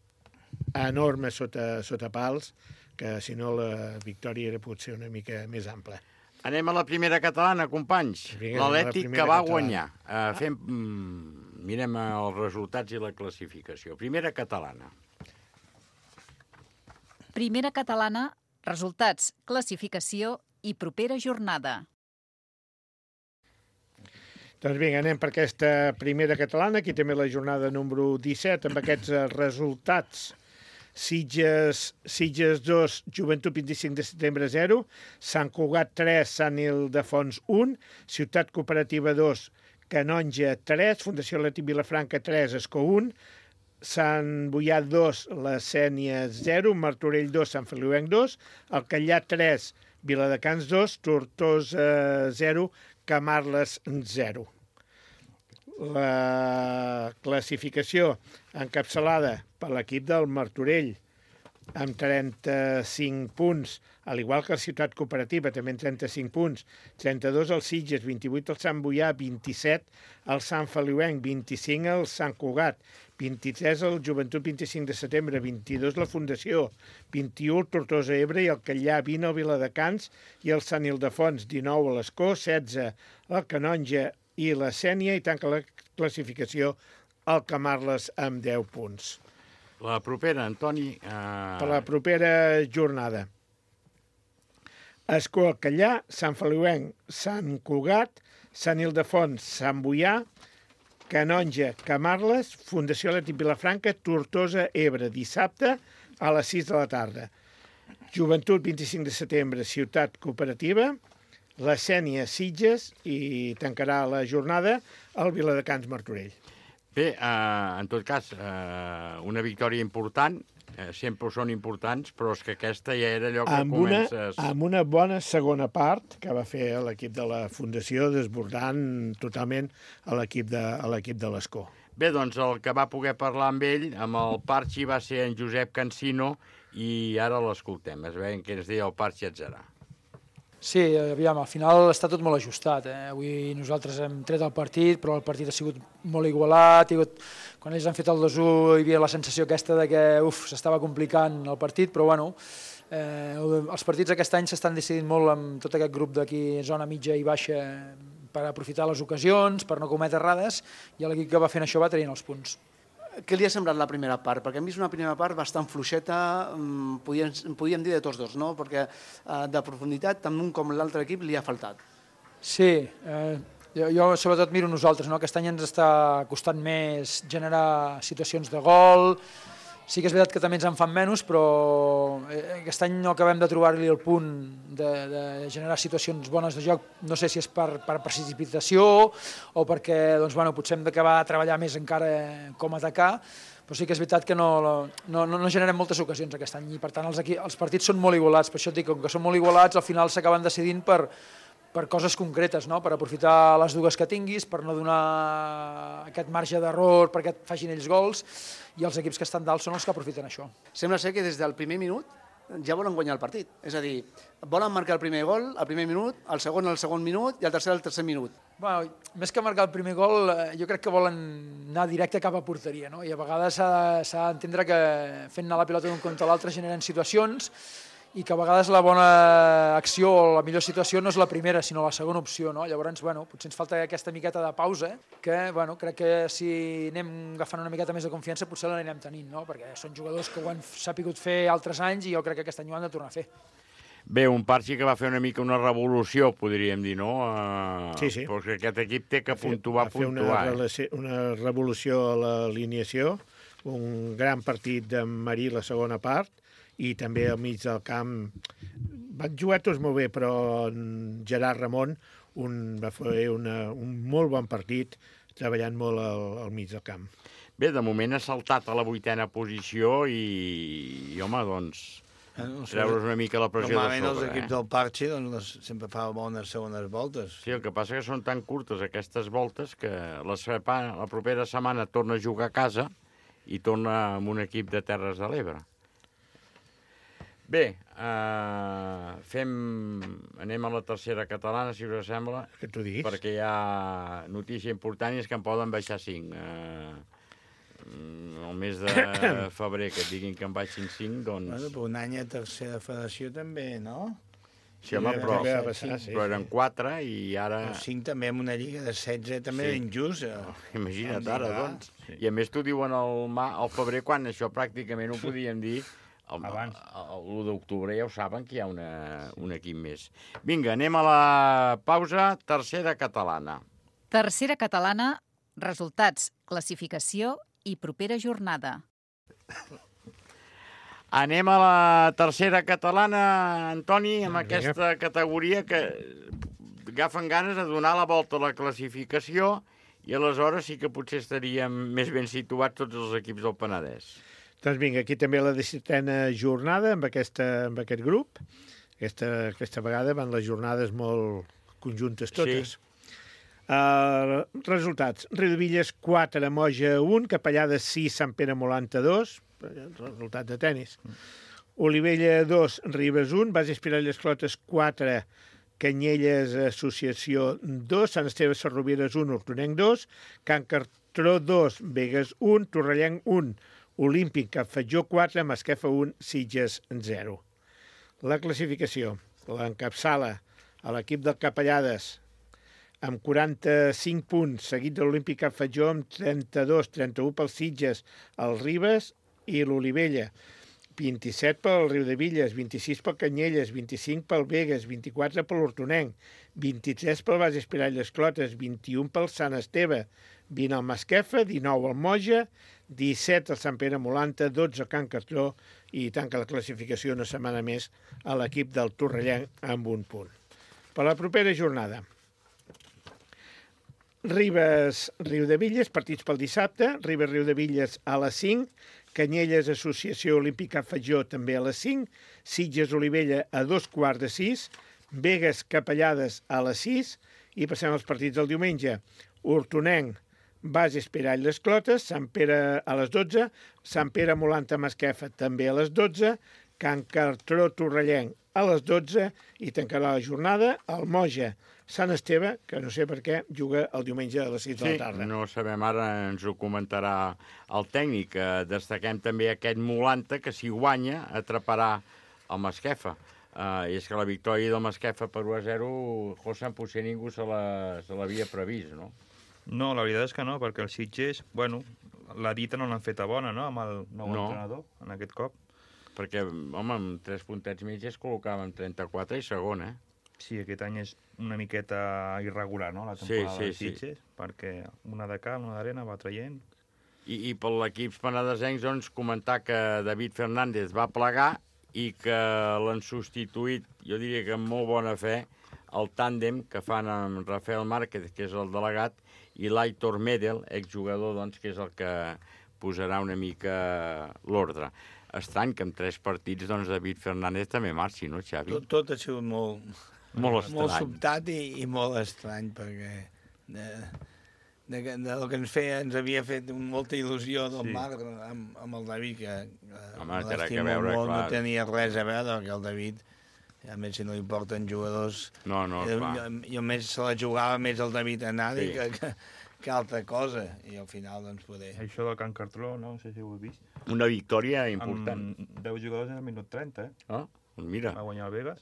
enorme sota pals, que si no la victòria era potser una mica més ampla. Anem a la primera catalana, companys. L'Atlètic que va guanyar. Mirem els resultats i la classificació. Primera catalana. Primera catalana, resultats, classificació i propera jornada. Doncs vinga, anem per aquesta primera catalana. Aquí també la jornada número 17, amb aquests resultats. Sitges 2, Joventut 25 de setembre 0, Sant Cugat 3, Sant Ildefons 1, Ciutat Cooperativa 2, Canonja 3, Fundació Atlètic Vilafranca 3, Escó 1, Sant Boià 2, La Sénia 0, Martorell 2, Sant Feliuenc 2, Alcallà 3, Viladecans 2, Tortosa 0, Camarles 0. La classificació encapçalada per l'equip del Martorell amb 35 punts, al igual que la Ciutat Cooperativa, també amb 35 punts, 32 al Sitges, 28 al Sant Boià, 27 al Sant Feliuenc, 25 al Sant Cugat, 23 al Joventut 25 de setembre, 22 la Fundació, 21 al Tortosa Ebre i el Callà, 20 al Viladecans i el Sant Ildefons, 19 a l'Escó, 16 al Canonja i la Sénia, i tanca la classificació el Camarles amb 10 punts. La propera, Antoni... Per la propera jornada. Escó, Alcallà, Sant Feliuenc, Sant Cugat, Sant Ildefons, Sant Boià, Canonja, Camarles, Fundació Atlètic Vilafranca, Tortosa, Ebre, dissabte a les 6 de la tarda. Joventut, 25 de setembre, Ciutat Cooperativa, la Sénia, Sitges, i tancarà la jornada el Viladecans Martorell. Bé, en tot cas, una victòria important, sempre són importants, però és que aquesta ja era allò que comences... Amb una bona segona part que va fer l'equip de la Fundació, desbordant totalment a l'equip de l'Escó. Bé, doncs el que va poder parlar amb ell, amb el Parchi, va ser en Josep Cansino, i ara l'escoltem. Es veiem què ens deia el Parchi Atzarà. Sí, aviam, al final està tot molt ajustat. Avui nosaltres hem tret el partit, però el partit ha sigut molt igualat. Quan ells han fet el 2-1 hi havia la sensació aquesta de que s'estava complicant el partit, però bueno, els partits aquest any s'estan decidint molt amb tot aquest grup d'aquí, zona mitja i baixa, per aprofitar les ocasions, per no cometre errades, i l'equip que va fent això va traient els punts. Què li ha semblat la primera part? Perquè hem vist una primera part bastant fluixeta, podíem dir de tots dos, no? Perquè de profunditat tant un com l'altre equip li ha faltat. Sí, jo sobretot miro nosaltres, no? Aquest any ens està costant més generar situacions de gol. Sí que és veritat que també ens en fan menys, però aquest any no acabem de trobar-li el punt de generar situacions bones de joc. No sé si és per precipitació o perquè potser hem d'acabar a treballar més encara com atacar, però sí que és veritat que no generem moltes ocasions aquest any i per tant els partits són molt igualats. Per això et dic, com que són molt igualats, al final s'acaben decidint per coses concretes, no? Per aprofitar les dues que tinguis, per no donar aquest marge d'error perquè et facin ells gols, i els equips que estan dalt són els que aprofiten això. Sembla ser que des del primer minut ja volen guanyar el partit. És a dir, volen marcar el primer gol al primer minut, el segon minut i el tercer al tercer minut. Bueno, més que marcar el primer gol, jo crec que volen anar directe cap a porteria, no? I a vegades s'ha d'entendre que fent anar la pilota d'un contra l'altre generen situacions i que a vegades la bona acció o la millor situació no és la primera, sinó la segona opció, no? Llavors, potser ens falta aquesta miqueta de pausa, que, crec que si anem agafant una miqueta més de confiança potser l'anirem tenint, no? Perquè són jugadors que ho han sapigut fer altres anys i jo crec que aquest any ho han de tornar a fer. Bé, un Parchi que va fer una mica una revolució, podríem dir, no? Sí. Però que aquest equip té que puntuar. Va fer una revolució a l'alineació, un gran partit de Marí la segona part, i també al mig del camp van jugar tots molt bé, però Gerard Ramon va fer un molt bon partit, treballant molt al mig del camp. Bé, de moment ha saltat a la 8a posició i home, doncs, treure's una mica la pressió de sobre. Normalment els equips del Parche sempre fa bones segones voltes. Sí, el que passa que són tan curtes aquestes voltes que la propera setmana torna a jugar a casa i torna amb un equip de Terres de l'Ebre. Bé, anem a la tercera catalana, si us sembla, que t'ho diguis, perquè hi ha notícia important i és que en poden baixar 5. El mes de febrer que et diguin que en baixin 5, doncs... Bueno, però un any a tercera federació també, no? Sí, home, però eren 4 i ara... 5 també amb una lliga de 16 també injust. Imagina't ara, doncs. I a més t'ho diuen al febrer, quan això pràcticament ho podíem dir... L'1 d'octubre ja ho saben que hi ha un equip més. Vinga, anem a la pausa. Tercera catalana. Tercera catalana, resultats, classificació i propera jornada. Anem a la tercera catalana, Antoni, amb aquesta categoria que agafen ganes de donar la volta a la classificació i aleshores sí que potser estaríem més ben situats tots els equips del Penedès. Doncs vinga, aquí també la 17a jornada amb aquest grup. Aquesta vegada van les jornades molt conjuntes totes. Sí. Resultats. Riudevilles 4, Moja 1, Capellada 6, Sant Pere Molanta 2, resultat de tennis. Olivella 2, Ribes 1, Base Espirall Esclotes 4, Canyelles Associació 2, Sant Esteve Sarrovires 1, Hortonenc 2, Can Cartró 2, Begues 1, Torrellenc 1, Olímpic Capfetjó 4, Masquefa 1, Sitges 0. La classificació l'encapçala a l'equip del Capellades amb 45 punts, seguit de l'Olímpic Capfetjó amb 32, 31 pel Sitges, el Ribes i l'Olivella, 27 pel Riudevilles, 26 pel Canyelles, 25 pel Begues, 24 per l'Hortonenc, 23 pel Base Espirall Esclotes, 21 pel Sant Esteve, 20 al Masquefa, 19 al Moja, 17 al Sant Pere Molanta, 12 al Can Cartró i tanca la classificació una setmana més a l'equip del Torrellenc amb 1 punt. Per la propera jornada, Ribes Riudevilles, partits pel dissabte, Ribes Riudevilles a les 5, Canyelles Associació Olímpica Fatjó també a les 5, Sitges Olivella a 2:15, Begues Capellades a les 6 i passem als partits del diumenge. Hortonenc, Base Espirall Les Clotes, Sant Pere a les 12, Sant Pere Molanta Masquefa també a les 12, Can Cartró Torrellenc a les 12 i tancarà la jornada el Moja Sant Esteve, que no sé per què juga el diumenge a les 6 de la tarda. Sí, no sabem ara, ens ho comentarà el tècnic. Destaquem també aquest Molanta, que si guanya atraparà el Masquefa. I és que la victòria del Masquefa per 1-0, José, potser ningú se l'havia previst, no? No, la veritat és que no, perquè els Sitges, bueno, la dita no l'han feta bona, no?, amb el nou entrenador, en aquest cop. Perquè, home, amb 3 puntets mig es col·locava en 34 i segon, Sí, aquest any és una miqueta irregular, no?, la temporada dels Sitges, perquè una de cal, una d'arena va traient. I per l'equip penedesencs, doncs, comentar que David Fernández va plegar i que l'han substituït, jo diria que amb molt bona fe, el tàndem que fan amb Rafael Márquez, que és el delegat, i l'Aitor Medel, exjugador, doncs, que és el que posarà una mica l'ordre. Estrany que amb 3 partits, doncs, David Fernández també marxi, no, Xavi? Tot ha sigut molt sobtat i molt estrany, perquè del que ens havia fet molta il·lusió del Marc amb el David, que l'estima molt, no tenia res a veure, perquè el David, a més, si no li porten jugadors... Jo més se la jugava més el David a Nadi que altra cosa, i al final, doncs, poder... Això del Can Cartró, no sé si ho heu vist. Una victòria important. Amb 10 jugadors en el minut 30, mira. Va guanyar el Vegas.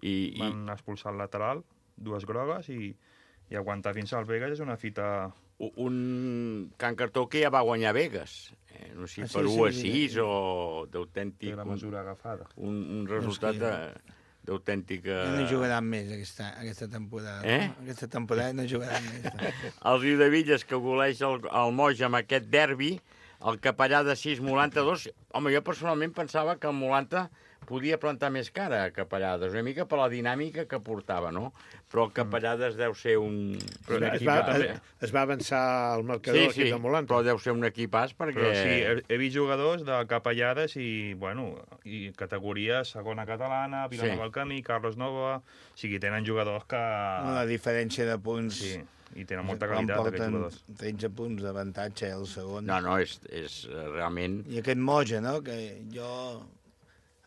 Van expulsar el lateral, 2 grogues, i aguantar fins al Vegas és una fita... Un Can Cartró que ja va guanyar Vegas. No sé si per 1-6 o d'autèntic... La mesura agafada. Un resultat d'autèntica... No jugaran més aquesta temporada. Aquesta temporada no jugaran més. El Riudevilles, que goleix el Moja amb aquest derbi, el Capellà de 6, Molanta 2. Home, jo personalment pensava que el Molanta podia plantar més cara a Capellades, una mica per la dinàmica que portava, no? Però el Capellades deu ser un equip... Es va avançar al marcador aquí de Molanta. Però deu ser un equipàs perquè... Però sí, he vist jugadors de Capellades i categoria segona catalana, Vilanova del Camí, Carlos Nova... O sigui, tenen jugadors que... La diferència de punts... Sí, i tenen molta qualitat aquests jugadors. 13 punts d'avantatge el segon. No, és realment... I aquest Moja, no?, que jo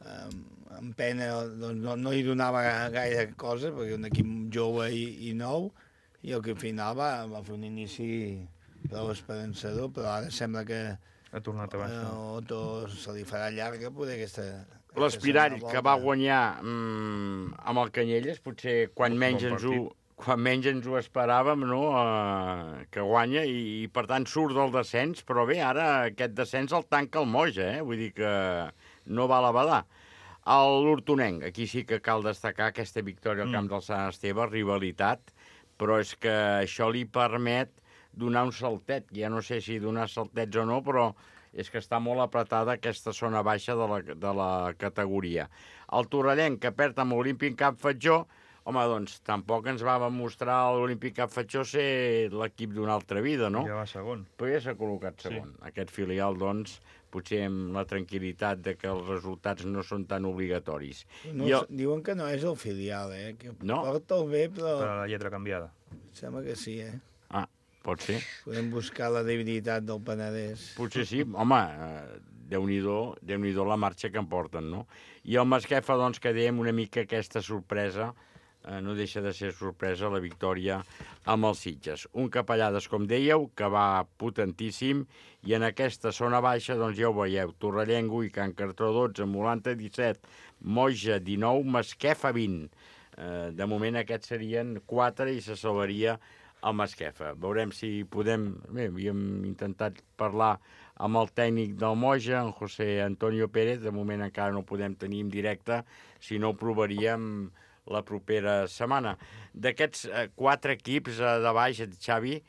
amb pena no hi donava gaire cosa, perquè un equip jove i nou, i al final va fer un inici prou esperançador, però ara sembla que ha tornat a baixar. Otto se li farà llarga poder aquesta... L'Espirall, que va guanyar amb el Canyelles, potser quan menys ens ho esperàvem, no?, que guanya, i per tant surt del descens, però bé, ara aquest descens el tanca el Moja, vull dir que no va a la badar. L'Hortonenc, aquí sí que cal destacar aquesta victòria al camp del Sant Esteve, rivalitat, però és que això li permet donar un saltet, ja no sé si donar saltets o no, però és que està molt apretada aquesta zona baixa de la categoria. El Torrellenc, que perd amb l'Olímpic Camp Fatjó, home, doncs tampoc ens va mostrar l'Olímpic Camp Fatjó ser l'equip d'una altra vida, no? Ja va segon. Però ja s'ha col·locat segon. Sí. Aquest filial, doncs, potser amb la tranquil·litat de que els resultats no són tan obligatoris. Diuen que no és el filial, que porta el bé, però... Per la lletra canviada. Sembla que sí, Pot ser. Podem buscar la debilitat del Penedès. Potser sí. Home, Déu-n'hi-do la marxa que em porten, no? I el Masquefa, doncs, que dèiem una mica aquesta sorpresa, no deixa de ser sorpresa la victòria amb els Sitges. Un Capellades, com dèieu, que va potentíssim, i en aquesta zona baixa, doncs ja ho veieu, Torrellengo i Can Cartró 12, Molanta 17, Moja 19, Masquefa 20. De moment aquests serien 4 i se salvaria el Masquefa. Veurem si podem... Bé, havíem intentat parlar amb el tècnic del Moja, en José Antonio Pérez. De moment encara no ho podem tenir en directe, si no ho provaríem la propera setmana. D'aquests 4 equips de baix, Xavi,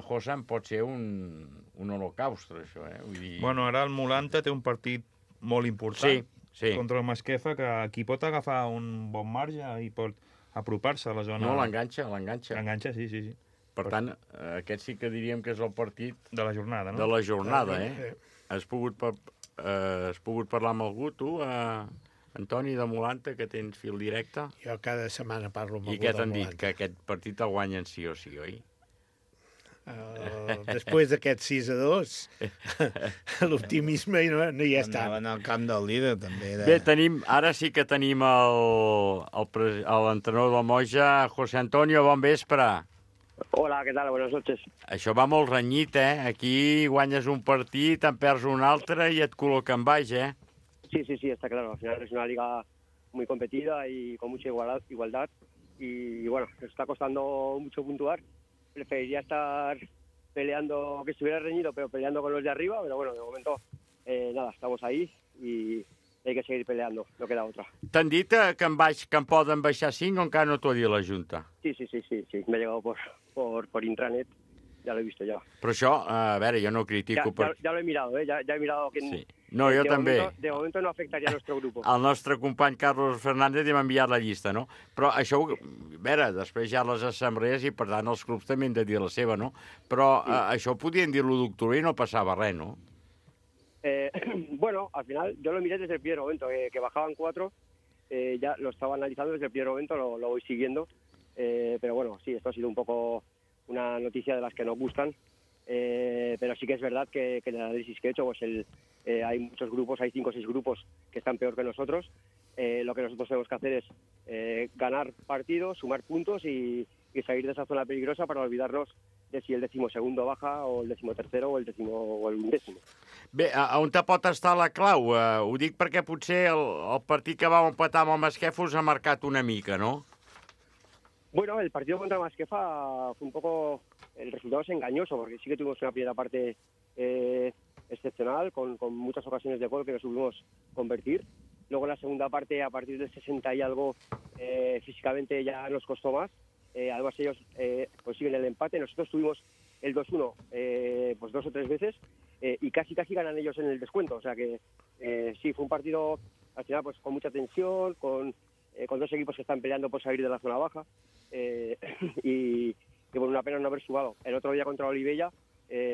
José, pot ser un holocaustre, això, Vull dir... Bueno, ara el Molanta té un partit molt important contra el Masquefa, que aquí pot agafar un bon marge i pot apropar-se a la zona... No, l'enganxa. L'enganxa, sí. Per tant, aquest sí que diríem que és el partit... De la jornada, no? De la jornada, Has pogut parlar amb algú, tu, Antoni, de Molanta, que tens fil directe? Jo cada setmana parlo amb algú de Molanta. I què t'han dit? Que aquest partit el guanyen sí o sí, oi? Després d'aquest 6-2, l'optimisme no hi està. Anaven al camp del líder, també. Bé, ara sí que tenim l'entrenador del Moja, José Antonio, bon vespre. Hola, ¿qué tal? Buenas noches. Això va molt renyit, Aquí guanyes un partit, en perds un altre i et col·loquen baix, Sí, está claro. Al final es una liga muy competida y con mucha igualdad. Y bueno, nos está costando mucho puntuar. Preferiría estar peleando, que estuviera reñido, pero peleando con los de arriba. Pero bueno, de momento, nada, estamos ahí y hay que seguir peleando, no queda otra. T'han dit que em poden baixar 5 o encara no t'ho ha dit la Junta? Sí, me ha llegado por intranet, ya lo he visto ya. Però això, a veure, jo no critico... Ya lo he mirado, ya he mirado que... Sí. No, jo també. De momento no afectaria a nuestro grupo. El nostre company Carlos Fernández m'ha enviat la llista, no? Però això, a veure, després hi ha les assemblees i per tant els clubs també han de dir la seva, no? Però això ho podien dir l'1 d'octubre i no passava res, no? Bueno, al final yo lo miré desde el primer momento, que bajaban 4, ya lo estaba analizando desde el primer momento, lo voy siguiendo, pero bueno, sí, esto ha sido un poco una noticia de las que nos gustan, pero sí que es verdad que en el análisis que he hecho, pues hay muchos grupos, hay 5 o 6 grupos que están peor que nosotros. Lo que nosotros tenemos que hacer es ganar partidos, sumar puntos y salir de esa zona peligrosa para olvidarnos de si el 12º baja o el 13º o el 10º o el 11º. Bé, on te pot estar la clau? Ho dic perquè potser el partit que va empatar amb el Masquefa us ha marcat una mica, no? Bueno, el partido contra Masquefa fue un poco... El resultado es engañoso, porque sí que tuvimos una primera parte excepcional, con muchas ocasiones de gol que no supimos convertir. Luego en la segunda parte, a partir del 60 y algo, físicamente ya nos costó más. Además ellos consiguen el empate. Nosotros tuvimos el 2-1 pues 2 o 3 veces y casi ganan ellos en el descuento. O sea que sí, fue un partido al final pues con mucha tensión, con dos equipos que están peleando por salir de la zona baja, y bueno, una pena no haber sumado. El otro día contra Olivella,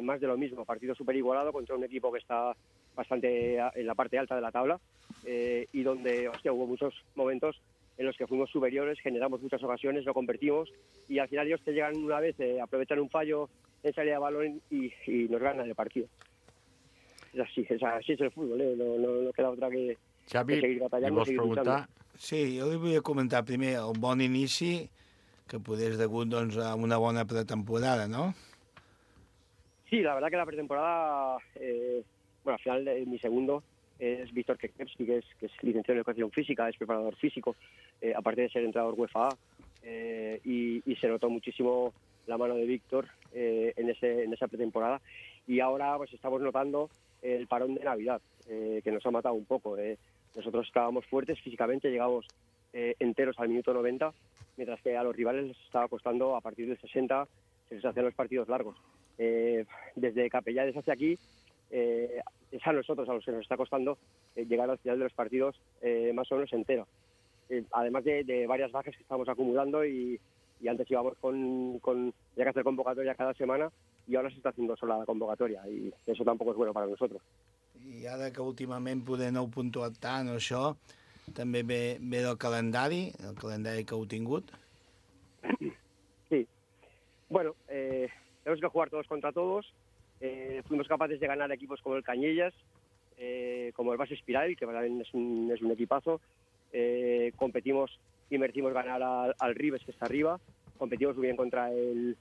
más de lo mismo, partido súper igualado contra un equipo que está bastante en la parte alta de la tabla, y donde hubo muchos momentos en los que fuimos superiores, generamos muchas ocasiones, lo convertimos, y al final ellos te llegan una vez, aprovechan un fallo en salida de balón y nos ganan el partido. Así es el fútbol, no queda otra que seguir batallando, seguir luchando. Sí, jo li volia comentar primer el bon inici, que poder és degut doncs, a una bona pretemporada, ¿no? Sí, la verdad que la pretemporada, al final mi segundo es Víctor Kekevski, que es licenciado en Educación Física, es preparador físico, aparte de ser entrenador UEFA, y se notó muchísimo la mano de Víctor en esa pretemporada. Y ahora pues estamos notando el parón de Navidad, que nos ha matado un poco. Nosotros estábamos fuertes físicamente, llegamos enteros al minuto 90, mientras que a los rivales les estaba costando a partir del 60, se les hacían los partidos largos. Desde Capellades hacia aquí, es a nosotros a los que nos está costando llegar al final de los partidos más o menos entero. Además de varias bajas que estamos acumulando y antes íbamos con ya que hacer convocatoria cada semana, i ara s'està fent sola la convocatòria, i això tampoc és bueno per a nosaltres. I ara que últimament poder no heu puntuat tant o això, també ve del calendari, el calendari que heu tingut? Sí. Bueno, tenemos que jugar todos contra todos. Fuimos capaces de ganar equipos como el Cañellas, como el Base Espiral, que también es un equipazo. Competimos y merecimos ganar al Ribes, que está arriba. Competimos muy bien contra el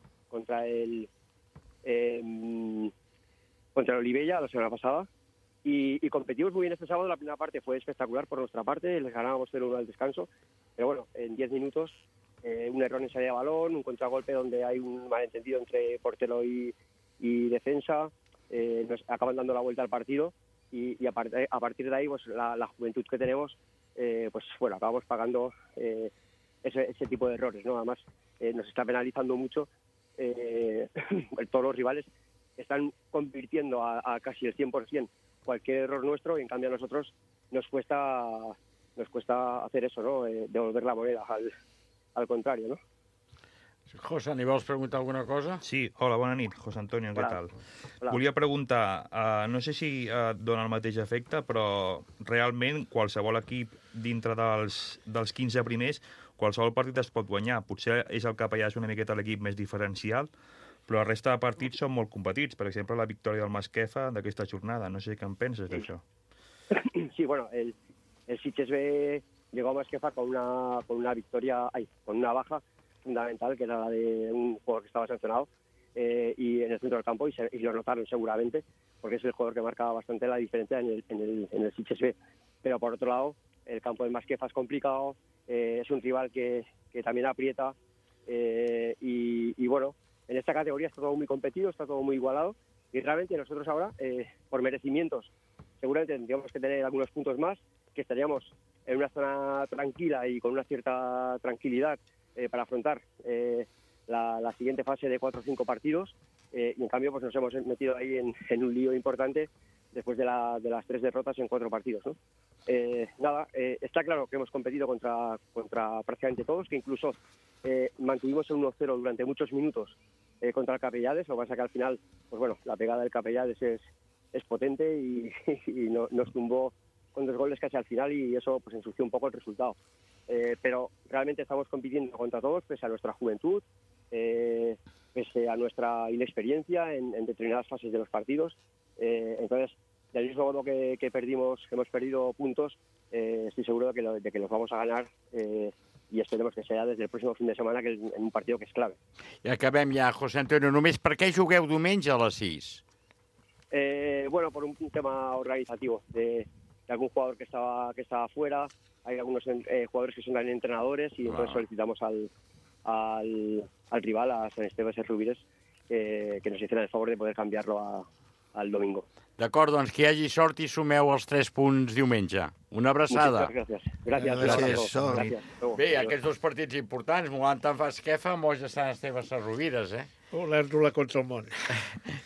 Olivella la semana pasada, y competimos muy bien este sábado. La primera parte fue espectacular por nuestra parte, les ganábamos 0-1 al descanso, pero bueno, en 10 minutos un error en salida de balón, un contragolpe donde hay un malentendido entre portero y defensa, nos acaban dando la vuelta al partido, y a partir de ahí pues la juventud que tenemos, pues bueno, acabamos pagando ese tipo de errores, ¿no? Además nos está penalizando mucho. Todos los rivales están convirtiendo a casi el 100% cualquier error nuestro, y en cambio a nosotros nos cuesta hacer eso, ¿no? Devolver la moneda al contrario, ¿no? José, n'hi vols preguntar alguna cosa? Sí, hola, bona nit, José Antonio, què tal? Hola. Volia preguntar, no sé si dona el mateix efecte, però realment qualsevol equip dintre dels 15 primers, qualsevol partit es pot guanyar. Potser és el Capellà una miqueta l'equip més diferencial, però la resta de partits són molt competits. Per exemple, la victòria del Masquefa d'aquesta jornada. No sé què en penses d'això. Sí, bueno, el Sitges B llegó a Masquefa con una victoria, con una baja fundamental, que era la de un jugador que estaba sancionado, y en el centro del campo, y lo notaron seguramente, porque es el jugador que marcaba bastante la diferencia en el Sitges B. Pero por otro lado, el campo del Masquefa es complicado, es un rival que también aprieta, y bueno, en esta categoría está todo muy competido, está todo muy igualado, y realmente nosotros ahora, por merecimientos, seguramente tendríamos que tener algunos puntos más, que estaríamos en una zona tranquila y con una cierta tranquilidad para afrontar la siguiente fase de 4 o 5 partidos, y en cambio pues nos hemos metido ahí en un lío importante después de las 3 derrotas en 4 partidos, ¿no? Está claro que hemos competido contra prácticamente todos, que incluso mantuvimos el 1-0 durante muchos minutos contra el Capellades. Lo que pasa que al final, pues bueno, la pegada del Capellades es potente, y nos tumbó con 2 goles casi al final, y eso pues ensució un poco el resultado. Pero realmente estamos compitiendo contra todos, pese a nuestra juventud, pese a nuestra inexperiencia en determinadas fases de los partidos. Entonces, del mismo modo que hemos perdido puntos, estoy seguro de que los vamos a ganar, i esperemos que sea desde el próximo fin de semana, que en un partido que és clave. I acabem ja, José Antonio. Només per què jugueu diumenge a les 6? Bueno, por un tema organizativo, de algún jugador que estaba fuera. Hay algunos jugadores que son también entrenadores, y entonces solicitamos al rival, a Sant Esteve Sesrovires, que nos hicieran el favor de poder cambiarlo al domingo. D'acord, doncs que hi hagi sort i sumeu els 3 punts diumenge. Una abraçada. Gràcies. Bé, aquests 2 partits importants, Moanta en Masquefa, Moix de Sant Esteve Sesrovires, Olèrdola contra el món.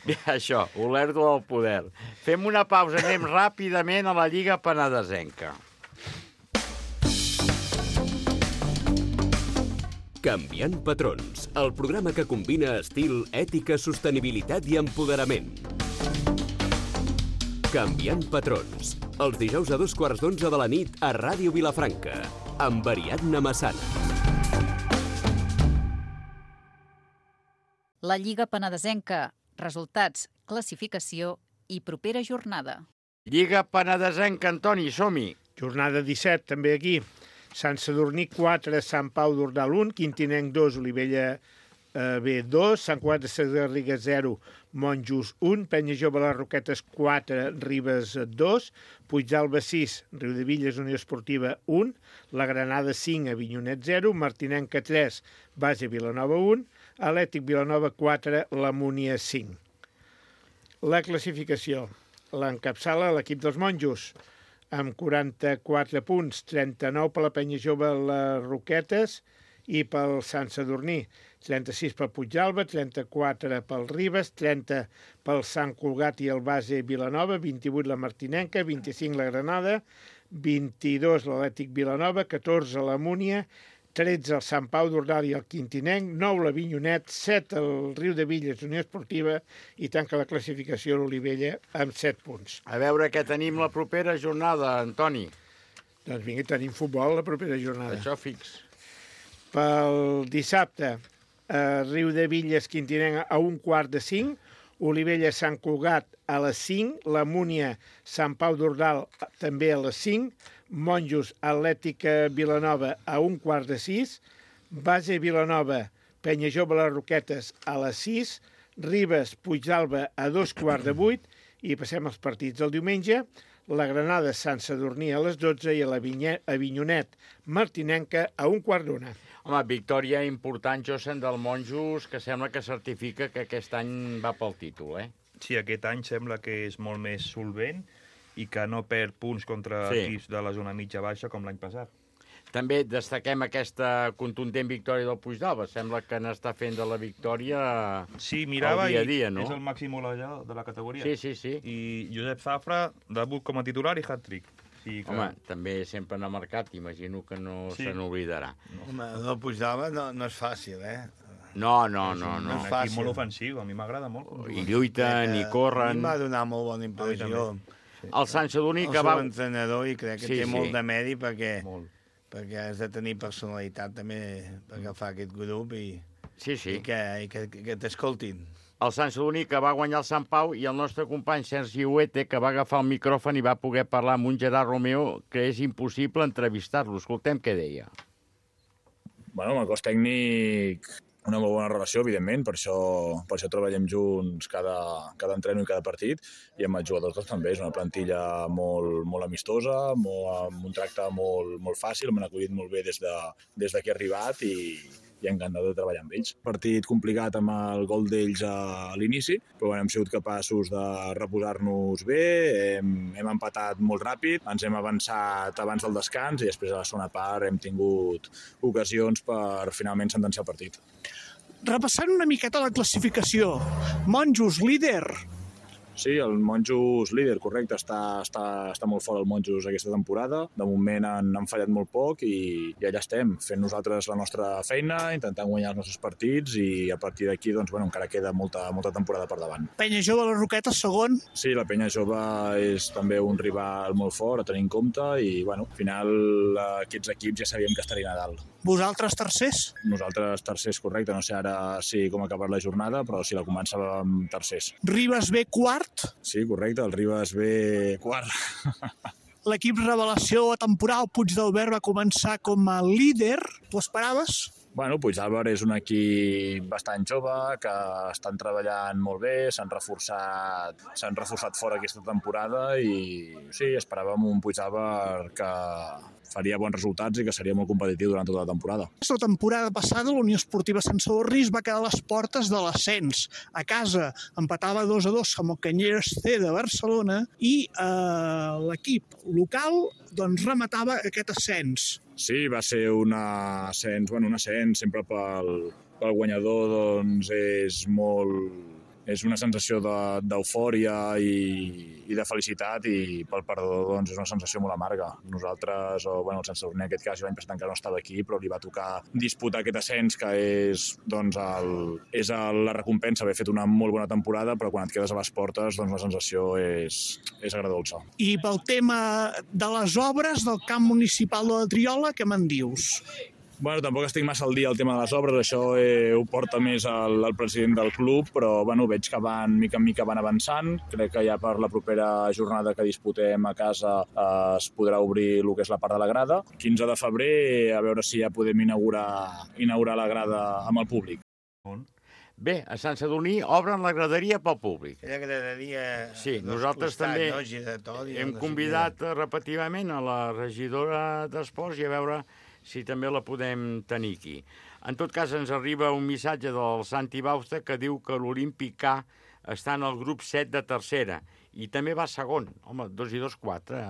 Bé, això, Olèrdola al poder. Fem una pausa, anem ràpidament a la Lliga Penedesenca. Canviant patrons, el programa que combina estil, ètica, sostenibilitat i empoderament. Canviant patrons, els dijous a 11:15 de la nit a Ràdio Vilafranca, amb Ariadna Massana. La Lliga Penedesenca, resultats, classificació i propera jornada. Lliga Penedesenca, Antoni, som-hi. Jornada 17, també aquí. Sant Sadurní 4, Sant Pau d'Ordal 1, Quintinenc 2, Olivella B 2, Sant Cugat de Sagarriga 0, Monjos 1, Penya Jove les Roquetes 4, Ribes 2, Puigdàlber 6, Riudevilles Unió Esportiva 1, la Granada 5, Avinyonet 0, Martinenca 3, Base Vilanova 1, Atlètic Vilanova 4, la Múnia 5. La classificació l'encapçala l'equip dels Monjos, amb 44 punts, 39 per la Penya Jove les Roquetes i pel Sant Sadurní, 36 pel Puigdàlber, 34 pel Ribes, 30 pel Sant Cugat i el Base Vilanova, 28 la Martinenca, 25 la Granada, 22 l'Atlètic Vilanova, 14 la Múnia, 13 el Sant Pau d'Ordal i el Quintinenc, 9 l'Avinyonet, 7 el Riudevilles Unió Esportiva i tanca la classificació l'Olivella amb 7 punts. A veure què tenim la propera jornada, Antoni. Doncs vinga, tenim futbol la propera jornada. Això fix. Pel dissabte, Riudevilles Quintinenc a 4:45, Olivella Sant Cugat a les 5, la Múnia Sant Pau d'Ordal també a les 5, Monjos Atlètica Vilanova a 5:15, Base Vilanova Penya Jove les Roquetes a les 6, Ribes Puigdàlber a 7:15 i passem als partits del diumenge. La Granada Sant Sadurní a les 12 i l'Avinyonet Martinenca a 1:15. Home, victòria important, Josen, del Monjos, que sembla que certifica que aquest any va pel títol, eh? Sí, aquest any sembla que és molt més solvent i que no perd punts contra equips de la zona mitja-baixa com l'any passat. També destaquem aquesta contundent victòria del Puigdàlber. Sembla que n'està fent de la victòria mirava dia a dia, no? És el màxim golejador de la categoria. Sí. I Josep Zafra, debut com a titular i hat-trick. Sí, que... Home, també sempre n'ha marcat, imagino que no se n'oblidarà. Home, el Puigdàlber no és fàcil, eh? No. És un equip molt ofensiu, a mi m'agrada molt. I lluiten, i corren. A mi m'ha donat molt bona impressió. El Sant Sadurní que va... El seu entrenador, i crec que té molt de mèrit perquè has de tenir personalitat també per agafar aquest grup i que t'escoltin. El Sant Sadurní que va guanyar el Sant Pau i el nostre company Sergi Huete que va agafar el micròfon i va poder parlar amb un Gerard Romeo que és impossible entrevistar-lo. Escoltem què deia. Bueno, amb el cos tècnic una molt bona relació, evidentment, per això treballem junts cada entreno i cada partit, i amb els jugadors també. És una plantilla molt amistosa, amb un tracte molt fàcil, m'han acollit molt bé des que he arribat i encantat de treballar amb ells. Partit complicat amb el gol d'ells a l'inici, però hem sigut capaços de reposar-nos bé, hem empatat molt ràpid, ens hem avançat abans del descans i després a la segona part hem tingut ocasions per finalment sentenciar el partit. Repassant una miqueta la classificació, Monjos líder. Sí, el Monjos líder, correcte, està molt fort el Monjos aquesta temporada. De moment han fallat molt poc i allà estem, fent nosaltres la nostra feina, intentant guanyar els nostres partits i a partir d'aquí encara queda molta temporada per davant. Penya Jove, les Roquetes, segon. Sí, la Penya Jove és també un rival molt fort a tenir en compte i al final aquests equips ja sabíem que estarien a dalt. Vosaltres tercers? Nosaltres tercers, correcte. No sé ara com ha acabat la jornada, però sí, la començàvem tercers. Ribes B quart? Sí, correcte, el Ribes B quart. L'equip revelació a temporal Puigdàlber va començar com a líder. T'ho esperaves? Bueno, Puigdàlber és un equip bastant jove, que estan treballant molt bé, s'han reforçat fora aquesta temporada i sí, esperàvem un Puigdàlber que faria bons resultats i que seria molt competitiu durant tota la temporada. La temporada passada la Unió Esportiva Sant Sadurní va quedar a les portes de l'ascens. A casa empatava 2-2 amb el Canyelles C de Barcelona i l'equip local rematava aquest ascens. Sí, va ser un ascens sempre pel guanyador és molt és una sensació d'eufòria i de felicitat, i pel perdedor doncs, és una sensació molt amarga. Nosaltres, o bueno, el Sant Sadurní en aquest cas, l'any passat encara no estava aquí, però li va tocar disputar aquest ascens, que és, doncs, la recompensa haver fet una molt bona temporada, però quan et quedes a les portes, doncs la sensació és agradolça. I pel tema de les obres del camp municipal de la Triola, què me'n dius? Bueno, tampoc estic massa al dia al tema de les obres, això ho porta més el president del club, però bueno, veig que mica en mica van avançant. Crec que ja per la propera jornada que disputem a casa es podrà obrir el que és la part de la grada. 15 de febrer, a veure si ja podem inaugurar la grada amb el públic. Bé, a Sant Sadurní obren la graderia pel públic. Aquella graderia... Sí, nosaltres també hem convidat repetidament a la regidora d'Esports i a veure si també la podem tenir aquí. En tot cas, ens arriba un missatge del Santi Bausta que diu que l'Olímpic A està en el grup 7 de tercera i també va segon. Home, 2 i 2, 4.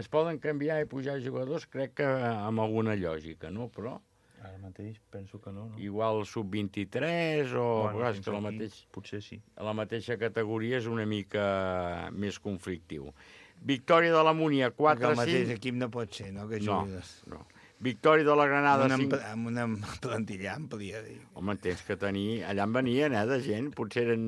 Es poden canviar i pujar jugadors, crec que amb alguna lògica, no? Però... Ara mateix penso que no. Igual sub-23 o... Bueno, és que potser sí. A la mateixa categoria és una mica més conflictiu. Victòria de la Múnia, 4-5... El mateix equip no pot ser, no? Que juguis. No. Victòria de la Granada... Amb una plantilla àmplia. Home, tens que tenir... Allà en venien, de gent. Potser eren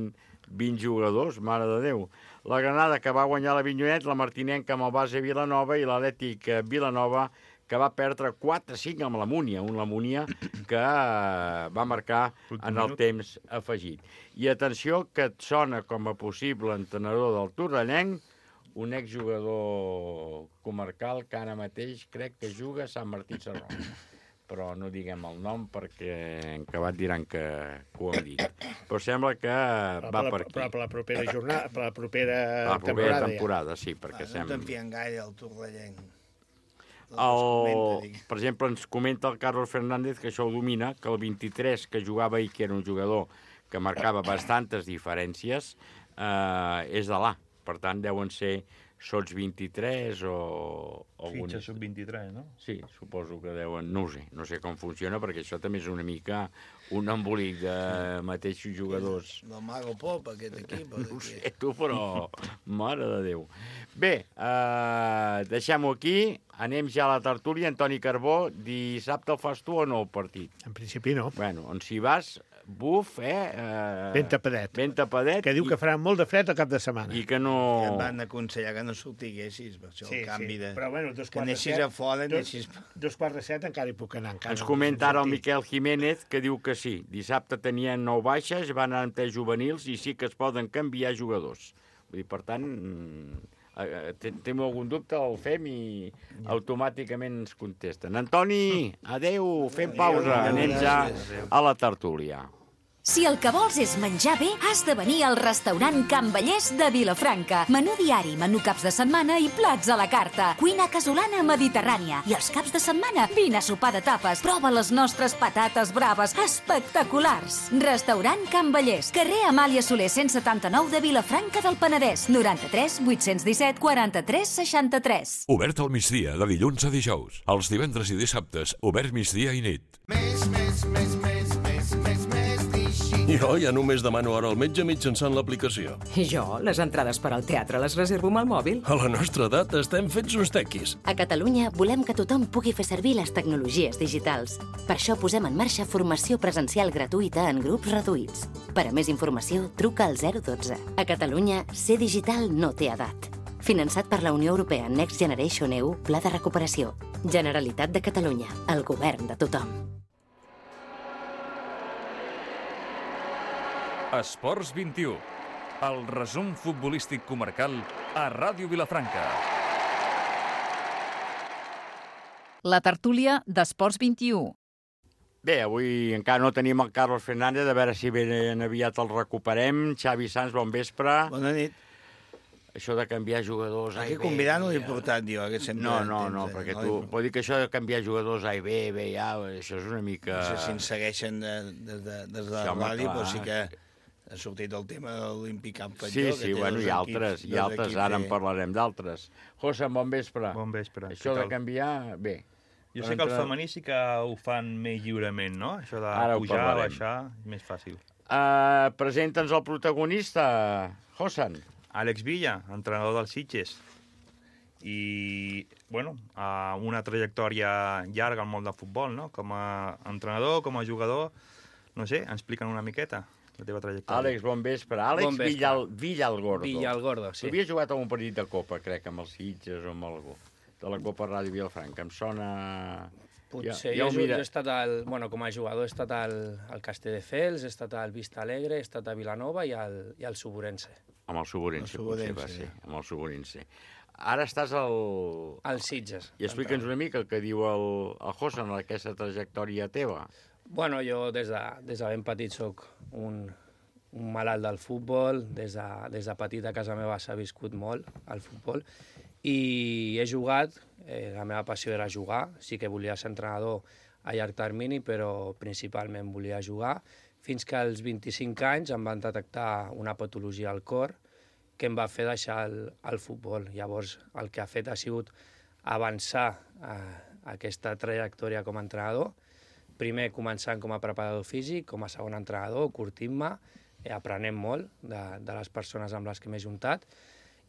20 jugadors, mare de Déu. La Granada, que va guanyar la Vinyonet, la Martinenca amb el base Vilanova i l'Atlètic Vilanova, que va perdre 4-5 amb la Múnia. La Múnia que va marcar en el temps afegit. I atenció, que et sona com a possible entenedor del Torrellenc, un exjugador comarcal que ara mateix crec que juga a Sant Martí Sarroca. Però no diguem el nom perquè en acabat diran que ho hem dit. Però sembla que va per aquí. Però per la propera jornada, per la propera temporada, sí, perquè sembla... No t'enfien gaire el Torrellenc. Per exemple, ens comenta el Carlos Fernández, que això ho domina, que el 23 que jugava ahir, que era un jugador que marcava bastantes diferències, és de l'A. Per tant, deuen ser sots 23 o... Fitxa sub-23, no? Sí, suposo que deuen... No ho sé, no sé com funciona, perquè això també és una mica un embolic de mateixos jugadors. El Mago Pop, aquest equip. No ho sé, tu, però... Mare de Déu. Bé, deixem-ho aquí. Anem ja a la tertúlia. Antoni Carbó, dissabte el fas tu o no, el partit? En principi no. Bueno, on si vas... Buf, ben tapadet. Ben tapadet. Que diu que farà molt de fred al cap de setmana. I que no... Que et van aconsellar que no sortiguessis, per això el canvi de... Però bueno, que anessis a fora, anessis... 2:45 encara hi puc anar. Ens comenta ara el Miquel Jiménez, que diu que sí. Dissabte tenien 9 baixes, van anar amb 3 juvenils i sí que es poden canviar jugadors. Vull dir, per tant... Teniu algun dubte, el fem i automàticament ens contesten. Antoni, adeu, fem pausa, anem ja a la tertúlia. Si el que vols és menjar bé, has de venir al restaurant Can Vallès de Vilafranca. Menú diari, menú caps de setmana i plats a la carta. Cuina casolana mediterrània. I els caps de setmana, vine a sopar de tapes. Prova les nostres patates braves, espectaculars. Restaurant Can Vallès, carrer Amàlia Soler 179 de Vilafranca del Penedès. 93 817 43 63. Obert al migdia, de dilluns a dijous. Els divendres i dissabtes, obert migdia i nit. Jo ja només demano hora al metge mitjançant l'aplicació. I jo, les entrades per al teatre les reservo amb el mòbil. A la nostra edat estem fets uns tequis. A Catalunya volem que tothom pugui fer servir les tecnologies digitals. Per això posem en marxa formació presencial gratuïta en grups reduïts. Per a més informació, truca al 012. A Catalunya, ser digital no té edat. Finançat per la Unió Europea Next Generation EU, Pla de Recuperació. Generalitat de Catalunya, el govern de tothom. Esports 21, el resum futbolístic comarcal a Ràdio Vilafranca. La tertúlia d'Esports 21. Bé, avui encara no tenim el Carlos Fernández, a veure si ben aviat el recuperem. Xavi Sanz, bon vespre. Bona nit. Això de canviar jugadors A i B... Aquí convidar no l'he portat, jo, que sempre... No, perquè tu... Pot dir que això de canviar jugadors A i B, B i A, això és una mica... No sé si ens segueixen des de la ràdio, però sí que ha sortit el tema de l'Olímpic Camp Patlló. Sí, bueno, i altres, ara en parlarem d'altres. José, bon vespre. Bon vespre. Això de canviar, bé. Jo sé que el femení sí que ho fan més lliurement, no? Això de pujar, baixar, és més fàcil. Presenta'ns el protagonista, Josan. Àlex Villa, entrenador dels Sitges. I, bueno, una trajectòria llarga al món del futbol, no? Com a entrenador, com a jugador, no sé, explica'n una miqueta la teva trajectòria. Àlex, bon vespre. Àlex Villalgordo. Villalgordo, sí. Havia jugat a un partit de Copa, crec, amb els Sitges o amb algú, de la Copa Ràdio Vilafranca. Em sona... Potser jo he estat, com a jugador, he estat al Castelldefels, he estat al Vista Alegre, he estat a Vilanova i al Suburense. Amb el Suburense, potser va ser. Amb el Suburense. Ara estàs al Sitges. I explica'ns una mica el que diu el Josan, aquesta trajectòria teva. Bueno, jo des de ben petit soc un malalt del futbol. Des de petit a casa meva s'ha viscut molt el futbol. I he jugat, la meva passió era jugar. Sí que volia ser entrenador a llarg termini, però principalment volia jugar. Fins que als 25 anys em van detectar una patologia al cor que em va fer deixar el futbol. Llavors, el que ha fet ha sigut avançar aquesta trajectòria com a entrenador. Primer, començant com a preparador físic, com a segon entrenador, curtint-me, aprenent molt de les persones amb les que m'he juntat,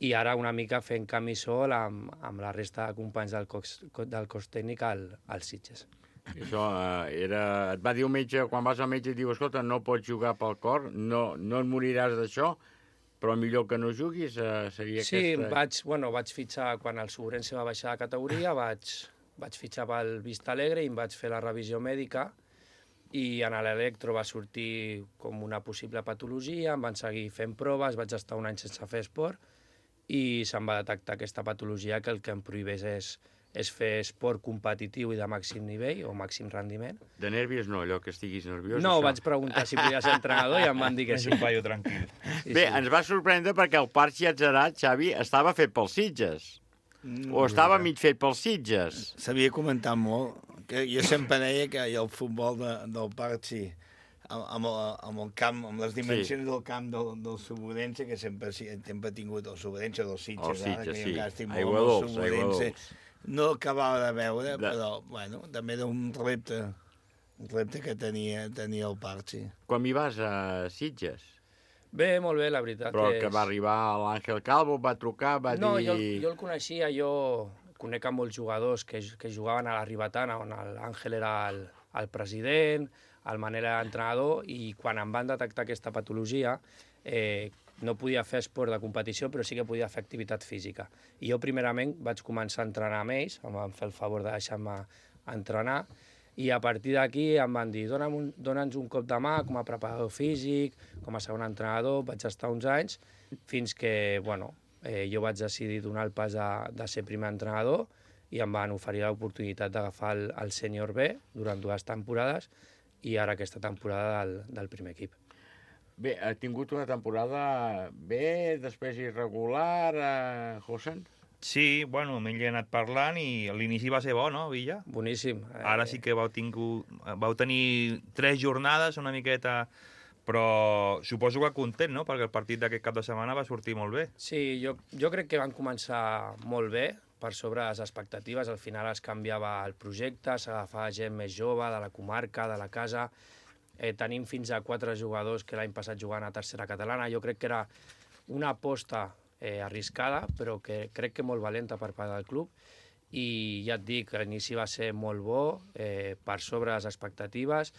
i ara una mica fent camí sol amb la resta de companys del cos tècnic al Sitges. Això et va dir un metge, quan vas al metge, diu, escolta, no pots jugar pel cor, no et moriràs d'això, però millor que no juguis, seria aquesta... Sí, vaig fitxar, quan el Suburense va baixar de categoria, vaig fitxar pel Vista Alegre i em vaig fer la revisió mèdica i en l'electro va sortir com una possible patologia, em van seguir fent proves, vaig estar un any sense fer esport i se'm va detectar aquesta patologia que el que em prohibeix és fer esport competitiu i de màxim nivell o màxim rendiment. De nervis no, allò que estiguis nerviós? No, vaig preguntar si podia ser entrenador i em van dir que sí. És un paio tranquil. Bé, ens va sorprendre perquè el Parc Llàtzerat, Xavi, estava fet pels Sitges. O estava mig fet pels Sitges. S'havia comentat molt. Que jo sempre deia que el futbol del Parc, sí, amb el camp, amb les dimensions del camp del Suburense, que sempre ha tingut el Suburense dels Sitges. El Sitges, sí. Aigua Dols. No acabava de veure, però, bueno, també era un repte que tenia el Parc, sí. Quan hi vas a Sitges? Bé, molt bé, la veritat. Però que va arribar l'Àngel Calvo, va trucar, va dir... No, jo el coneixia, jo conec a molts jugadors que jugaven a la Ribetana, on l'Àngel era el president, el Manel era l'entrenador, i quan em van detectar aquesta patologia, no podia fer esport de competició, però sí que podia fer activitat física. I jo, primerament, vaig començar a entrenar amb ells, em van fer el favor de deixar-me entrenar, i a partir d'aquí em van dir dona'ns un cop de mà com a preparador físic, com a segon entrenador, vaig estar uns anys, fins que, jo vaig decidir donar el pas de ser primer entrenador i em van oferir l'oportunitat d'agafar el sènior B durant 2 temporades i ara aquesta temporada del primer equip. Bé, ha tingut una temporada bé, després irregular, Josan? Sí, bueno, m'hi he anat parlant i l'inici va ser bo, no, Villa? Boníssim. Ara sí que vau tenir 3 jornades, una miqueta, però suposo que content, no?, perquè el partit d'aquest cap de setmana va sortir molt bé. Sí, jo crec que van començar molt bé, per sobre les expectatives. Al final es canviava el projecte, s'agafava gent més jove, de la comarca, de la casa. Tenim fins a 4 jugadors que l'any passat jugant a tercera catalana. Jo crec que era una aposta arriscada, però que crec que molt valenta per part del club. I ja et dic, l'inici va ser molt bo, per sobre les expectatives.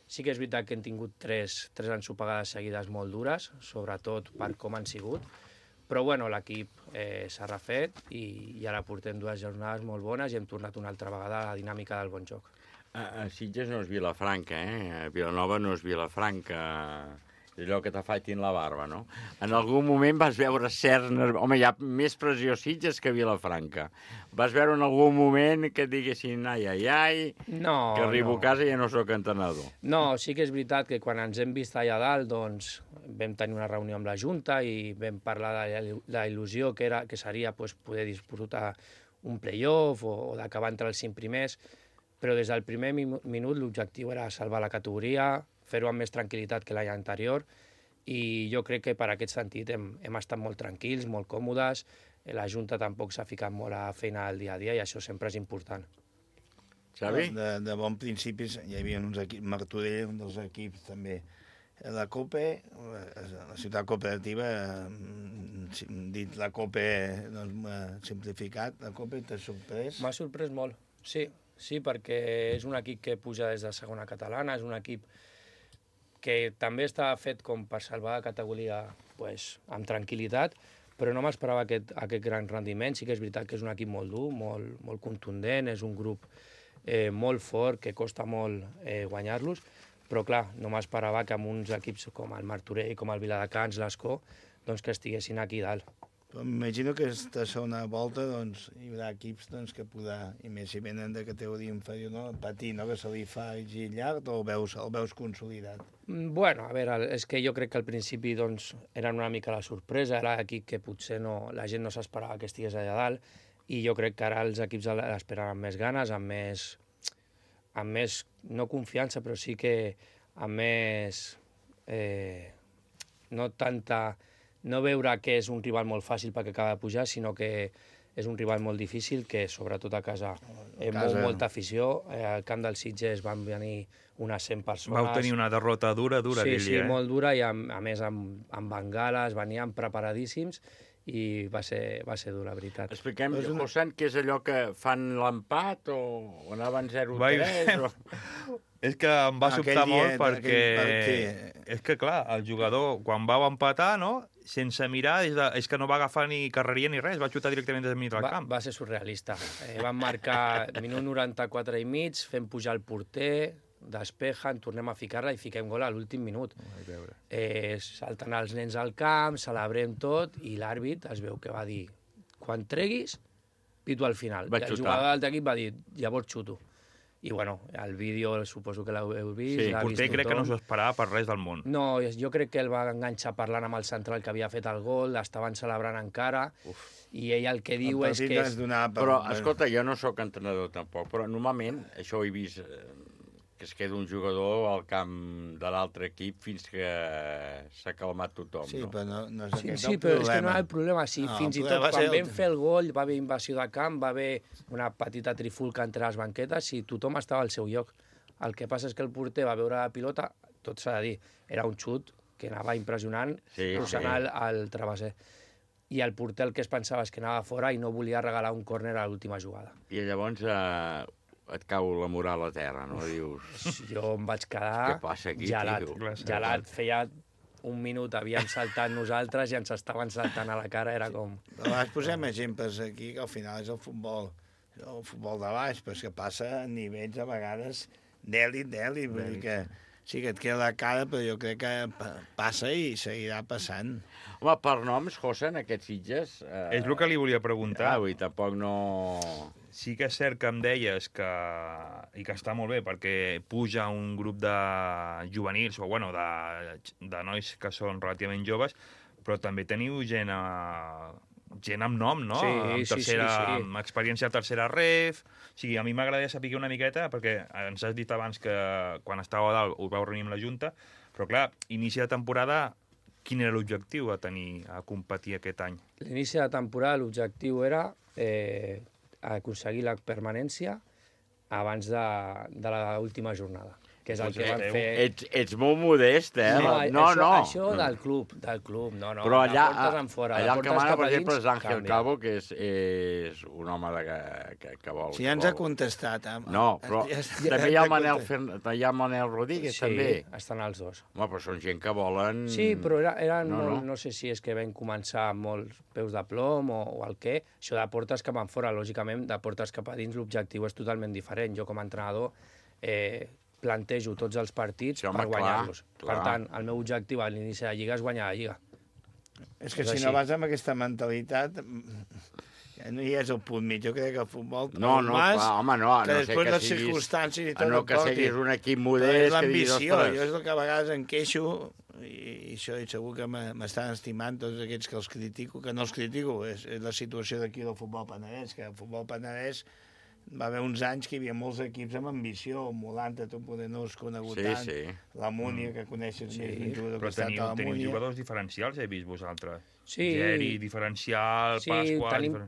Sí que és veritat que hem tingut 3 ensopegades seguides molt dures, sobretot per com han sigut. Però l'equip s'ha refet i ara portem 2 jornades molt bones i hem tornat una altra vegada a la dinàmica del bon joc. Sitges no és Vilafranca, Vilanova no és Vilafranca. És allò que t'afaitin la barba, no? En algun moment vas veure cert... Home, hi ha més pressió Sitges que Vilafranca. Vas veure en algun moment que et diguessin ai, que arribo a casa i ja no soc entrenador. No, sí que és veritat que quan ens hem vist allà dalt, doncs vam tenir una reunió amb la Junta i vam parlar de la il·lusió que seria poder disputar un play-off o d'acabar entre els 5 primers, però des del primer minut l'objectiu era salvar la categoria, fer-ho amb més tranquil·litat que l'any anterior, i jo crec que per aquest sentit hem estat molt tranquils, molt còmodes, la Junta tampoc s'ha ficat molt a feina del dia a dia i això sempre és important. Xavi? De bon principi hi havia uns equips, Martorell, un dels equips també La COPE, la ciutat cooperativa, dit la COPE simplificat, la COPE t'ha sorprès? M'ha sorprès molt, sí, perquè és un equip que puja des de segona catalana, és un equip que també està fet com per salvar la categoria pues, amb tranquil·litat, però no m'esperava aquest gran rendiment. Sí que és veritat que és un equip molt dur, molt contundent, és un grup molt fort, que costa molt guanyar-los, però clar, no m'esperava que amb uns equips com el Martorell, com el Viladecans, l'Escó, doncs que estiguessin aquí dalt. M'imagino que aquesta segona volta doncs, hi haurà equips doncs, que podrà, i més si venen de categoria inferior, no? Patir, no? Que se li fa llarg o el veus consolidat? Bueno, a veure, és que jo crec que al principi doncs, eren una mica la sorpresa, era l'equip que potser la gent no s'esperava que estigués allà dalt, i jo crec que ara els equips l'esperen amb més ganes, amb més, no confiança, però sí que amb més, no veure que és un rival molt fàcil perquè acaba de pujar, sinó que és un rival molt difícil, que sobretot a casa molta afició. Al camp del Sitges van venir unes 100 persones. Vau tenir una derrota dura aquell dia. Sí, molt dura, i a més amb bengales, venien preparadíssims, i va ser dur, la veritat. Expliquem, José, què és allò que fan l'empat o anaven 0-3? És que em va sobtar molt perquè... És que, clar, el jugador, quan vau empatar, no?, sense mirar, és que no va agafar ni carreria ni res, va xutar directament des del mig del camp. Va ser surrealista. Van marcar minut 94 i mig, fem pujar el porter, despejen, tornem a ficar-la i fiquem gol a l'últim minut. Salten els nens al camp, celebrem tot, i l'àrbit es veu que va dir quan treguis, pito al final. I el jugador de l'altre equip va dir llavors xuto. I bueno, el vídeo suposo que l'heu vist. Sí, el porter crec que no s'ho esperava per res del món. No, jo crec que el va enganxar parlant amb el central que havia fet el gol, l'estaven celebrant encara, i ell el que diu és que... Però, escolta, jo no sóc entrenador tampoc, però normalment, això ho he vist, que es queda un jugador al camp de l'altre equip fins que s'ha calmat tothom, sí, no? Però no és aquest sí, però és que no hi ha el problema. Sí, fins i tot quan vam fer el gol va haver invasió de camp, va haver una petita trifulca entre les banquetes i tothom estava al seu lloc. El que passa és que el porter va veure la pilota, tot s'ha de dir, era un xut que anava impressionant, posant el travesser. I el porter el que es pensava és que anava fora i no volia regalar un córner a l'última jugada. I llavors et cau la moral a terra, no? Dius... Jo em vaig quedar gelat. Feia un minut havíem saltat nosaltres i ens estaven saltant a la cara, era com... Però posem exemples aquí, que al final és el futbol de baix, però és que passa a nivells a vegades d'èlit, vull dir que sí que et queda la cara, però jo crec que passa i seguirà passant. Home, per noms, José, en aquests Sitges... És el que li volia preguntar. I tampoc no... Sí que és cert que em deies que... i que està molt bé, perquè puja un grup de juvenils, o bueno, de nois que són relativament joves, però també teniu gent amb nom, no? Sí. Amb experiència a tercera ref... O sigui, a mi m'agradaria saber una miqueta, perquè ens has dit abans que quan estàveu a dalt us vau reunir amb la Junta, però clar, inici de temporada, quin era l'objectiu a competir aquest any? L'inici de temporada l'objectiu era aconseguir la permanència abans de l'última jornada, que és el que van fer... Ets molt modest, eh? No. Això del club, no. Però allà el que mana, per exemple, és Ángel Calvo, que és un home que vol... Sí, ja ens ha contestat. No, però també hi ha el Manel Rodríguez, també. Sí, estan els dos. Home, però són gent que volen... Sí, però eren molt... No sé si és que vam començar amb molts peus de plom o el què. Això de portes cap enfora, lògicament, de portes cap a dins l'objectiu és totalment diferent. Jo, com a entrenador, plantejo tots els partits per guanyar-los. Per tant, el meu objectiu a l'inici de la Lliga és guanyar la Lliga. És que si no vas amb aquesta mentalitat, no hi és el punt mig. Jo crec que el futbol... No, home, no. Que després les circumstàncies i tot no que siguis un equip modest... És l'ambició. Jo és el que a vegades em queixo, i això segur que m'estan estimant tots aquests que els critico, que no els critico, és la situació d'aquí del futbol Penedès, que el futbol Penedès va haver uns anys que hi havia molts equips amb ambició, Molanta, tu poder no has conegut tant, la Múnia, que coneixes més d'un jugador que ha estat a la Múnia. Teniu jugadors diferencials, he vist vosaltres. Sí. Geri, diferencial, Pasqual...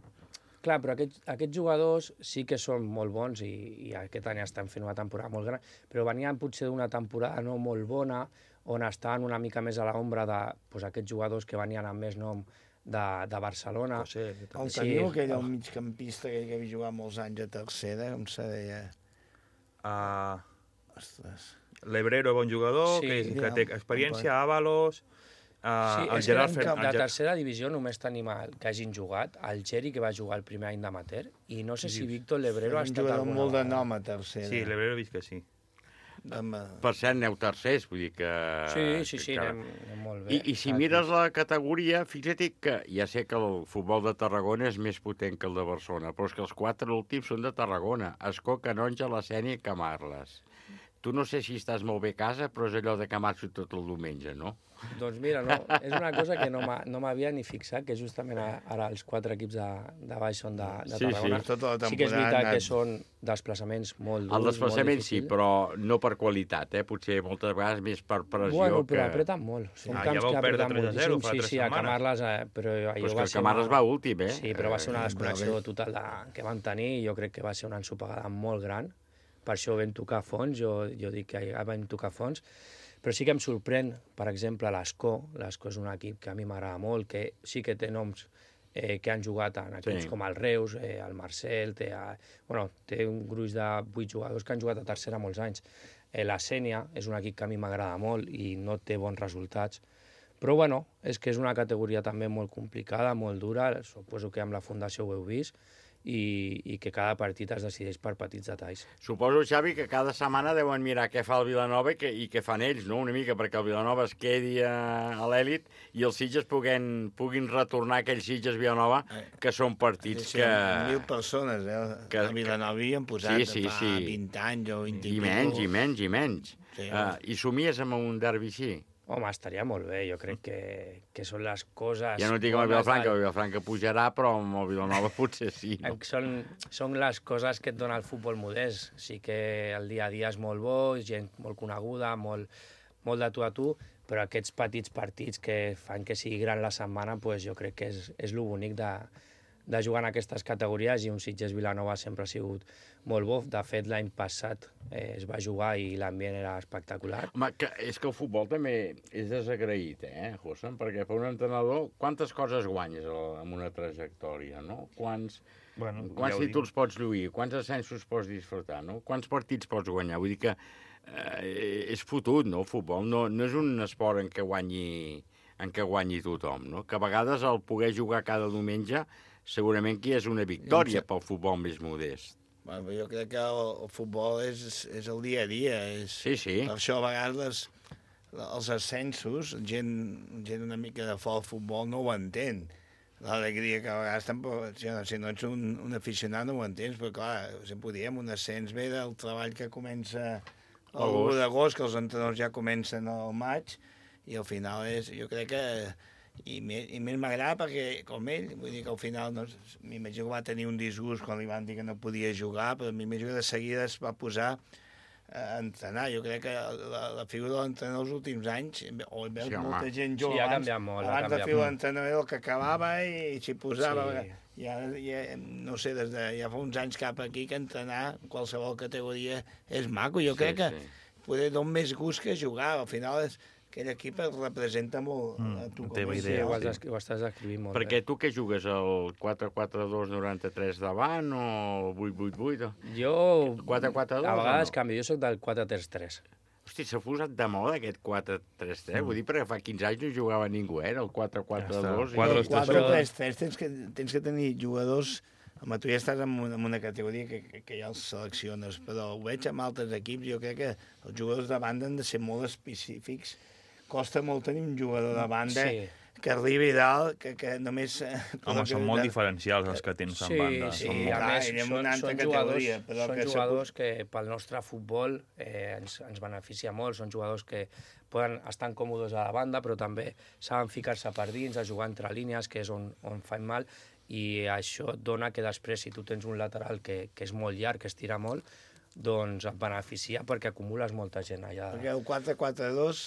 Clar, però aquests jugadors sí que són molt bons i aquest any estan fent una temporada molt gran, però venien potser d'una temporada no molt bona on estan una mica més a l'ombra d'aquests jugadors que venien amb més nom de Barcelona. El teniu, aquell el migcampista que havia jugat molts anys a tercera, com se deia? L'Ebrero, bon jugador, que té experiència, Ábalos... Sí, és que de tercera divisió només tenim que hagin jugat el Geri, que va jugar el primer any d'amateur, i no sé si Víctor L'Ebrero ha estat alguna vegada. Un jugador molt de nom a tercera. Sí, L'Ebrero he vist que sí. Per cert, aneu tercers, vull dir que... Sí, anem molt bé. I si mires la categoria, fixa't que ja sé que el futbol de Tarragona és més potent que el de Barcelona, però és que els 4 últims són de Tarragona: Ascó, Canonja, La Sénia i Camarles. Tu no sé si estàs molt bé a casa, però és allò de que marxo tot el diumenge, no? Doncs mira, no, és una cosa que no m'havia ni fixat, que justament ara els 4 equips de baix són de Tarragona. Sí que és veritat que són desplaçaments molt durs. El desplaçament sí, però no per qualitat, potser moltes vegades més per pressió. Bueno, però apreten molt. Són camps que apreten moltíssim. Sí, a Camarles, però allò va ser... Camarles va últim, Sí, però va ser una desconnexió total que van tenir, i jo crec que va ser una ensopegada molt gran. Per això vam tocar fons, jo dic que ja vam tocar fons, però sí que em sorprèn, per exemple, l'Ascó. L'Ascó és un equip que a mi m'agrada molt, que sí que té noms que han jugat en equips com el Reus, el Marcel, té un gruix de 8 jugadors que han jugat a tercera molts anys. La Sénia és un equip que a mi m'agrada molt i no té bons resultats, però bueno, és que és una categoria també molt complicada, molt dura, suposo que amb la Fundació ho heu vist, i que cada partit es decideix per petits detalls. Suposo, Xavi, que cada setmana deuen mirar què fa el Vilanova i què fan ells, no? Una mica, perquè el Vilanova es quedi a l'èlit i els Sitges puguin retornar aquells Sitges-Vilanova, que són partits que... 1.000 persones, que a Vilanova hi han posat fa 20 anys o 20 anys. I menys. I somies amb un derbi així? Home, estaria molt bé, jo crec que són les coses... Ja no dic amb el Vilafranca pujarà, però amb el Vilanova potser sí. No? Són les coses que et dona el futbol modest. Sí que el dia a dia és molt bo, gent molt coneguda, molt de tu a tu, però aquests petits partits que fan que sigui gran la setmana, jo crec que és lo bonic de jugar en aquestes categories, i un Sitges-Vilanova sempre ha sigut molt bo. De fet, l'any passat es va jugar i l'ambient era espectacular. Home, és que el futbol també és desagraït, José? Perquè per un entrenador, quantes coses guanyes amb una trajectòria, no? Quants títols pots lluir, quants ascensos pots disfrutar, no? Quants partits pots guanyar? Vull dir que és fotut, no, el futbol? No és un esport en què guanyi tothom, no? Que a vegades el poder jugar cada diumenge segurament que és una victòria pel futbol més modest. Jo crec que el futbol és el dia a dia. Sí. Per això a vegades els ascensos, gent una mica de fora del futbol no ho entén. L'alegria que a vegades tampoc, si no ets un aficionat no ho entens, però clar, sempre ho diem, un ascens ve del treball que comença l'1 d'agost, que els entrenadors ja comencen al maig, i al final jo crec que... I més m'agrada perquè, com ell, vull dir que al final m'imagino que va tenir un disgust quan li van dir que no podia jugar, però m'imagino que de seguida es va posar a entrenar. Jo crec que la figura de l'entrenador els últims anys, veus molta gent jove abans de fer l'entrenador que acabava i s'hi posava. Ja, no sé, ja fa uns anys cap aquí que entrenar en qualsevol categoria és maco. Jo crec que poder donar més gust que jugar. Al final aquell equip et representa molt a tu com a idea. Ho estàs escrivint molt. Perquè tu què jugues, el 4-4-2-93 davant o el 8-8-8? Jo 4-4-2? A vegades canvio, jo soc del 4-3-3. Hosti, s'ha posat de moda aquest 4-3-3. Vull dir, perquè fa 15 anys no jugava ningú, el 4-4-2. El 4-3-3 tens que tenir jugadors... Home, tu ja estàs en una categoria que ja els selecciones, però ho veig amb altres equips. Jo crec que els jugadors de banda han de ser molt específics. Costa molt tenir un jugador de banda que arribi dalt, que només... Home, són molt diferencials els que tens en banda. Sí, a més, són jugadors que pel nostre futbol ens beneficia molt. Són jugadors que poden estar còmodes a la banda, però també saben ficar-se per dins, a jugar entre línies, que és on fan mal, i això et dona que després, si tu tens un lateral que és molt llarg, que estira molt, doncs et beneficia perquè acumules molta gent allà. Perquè el 4-4-2,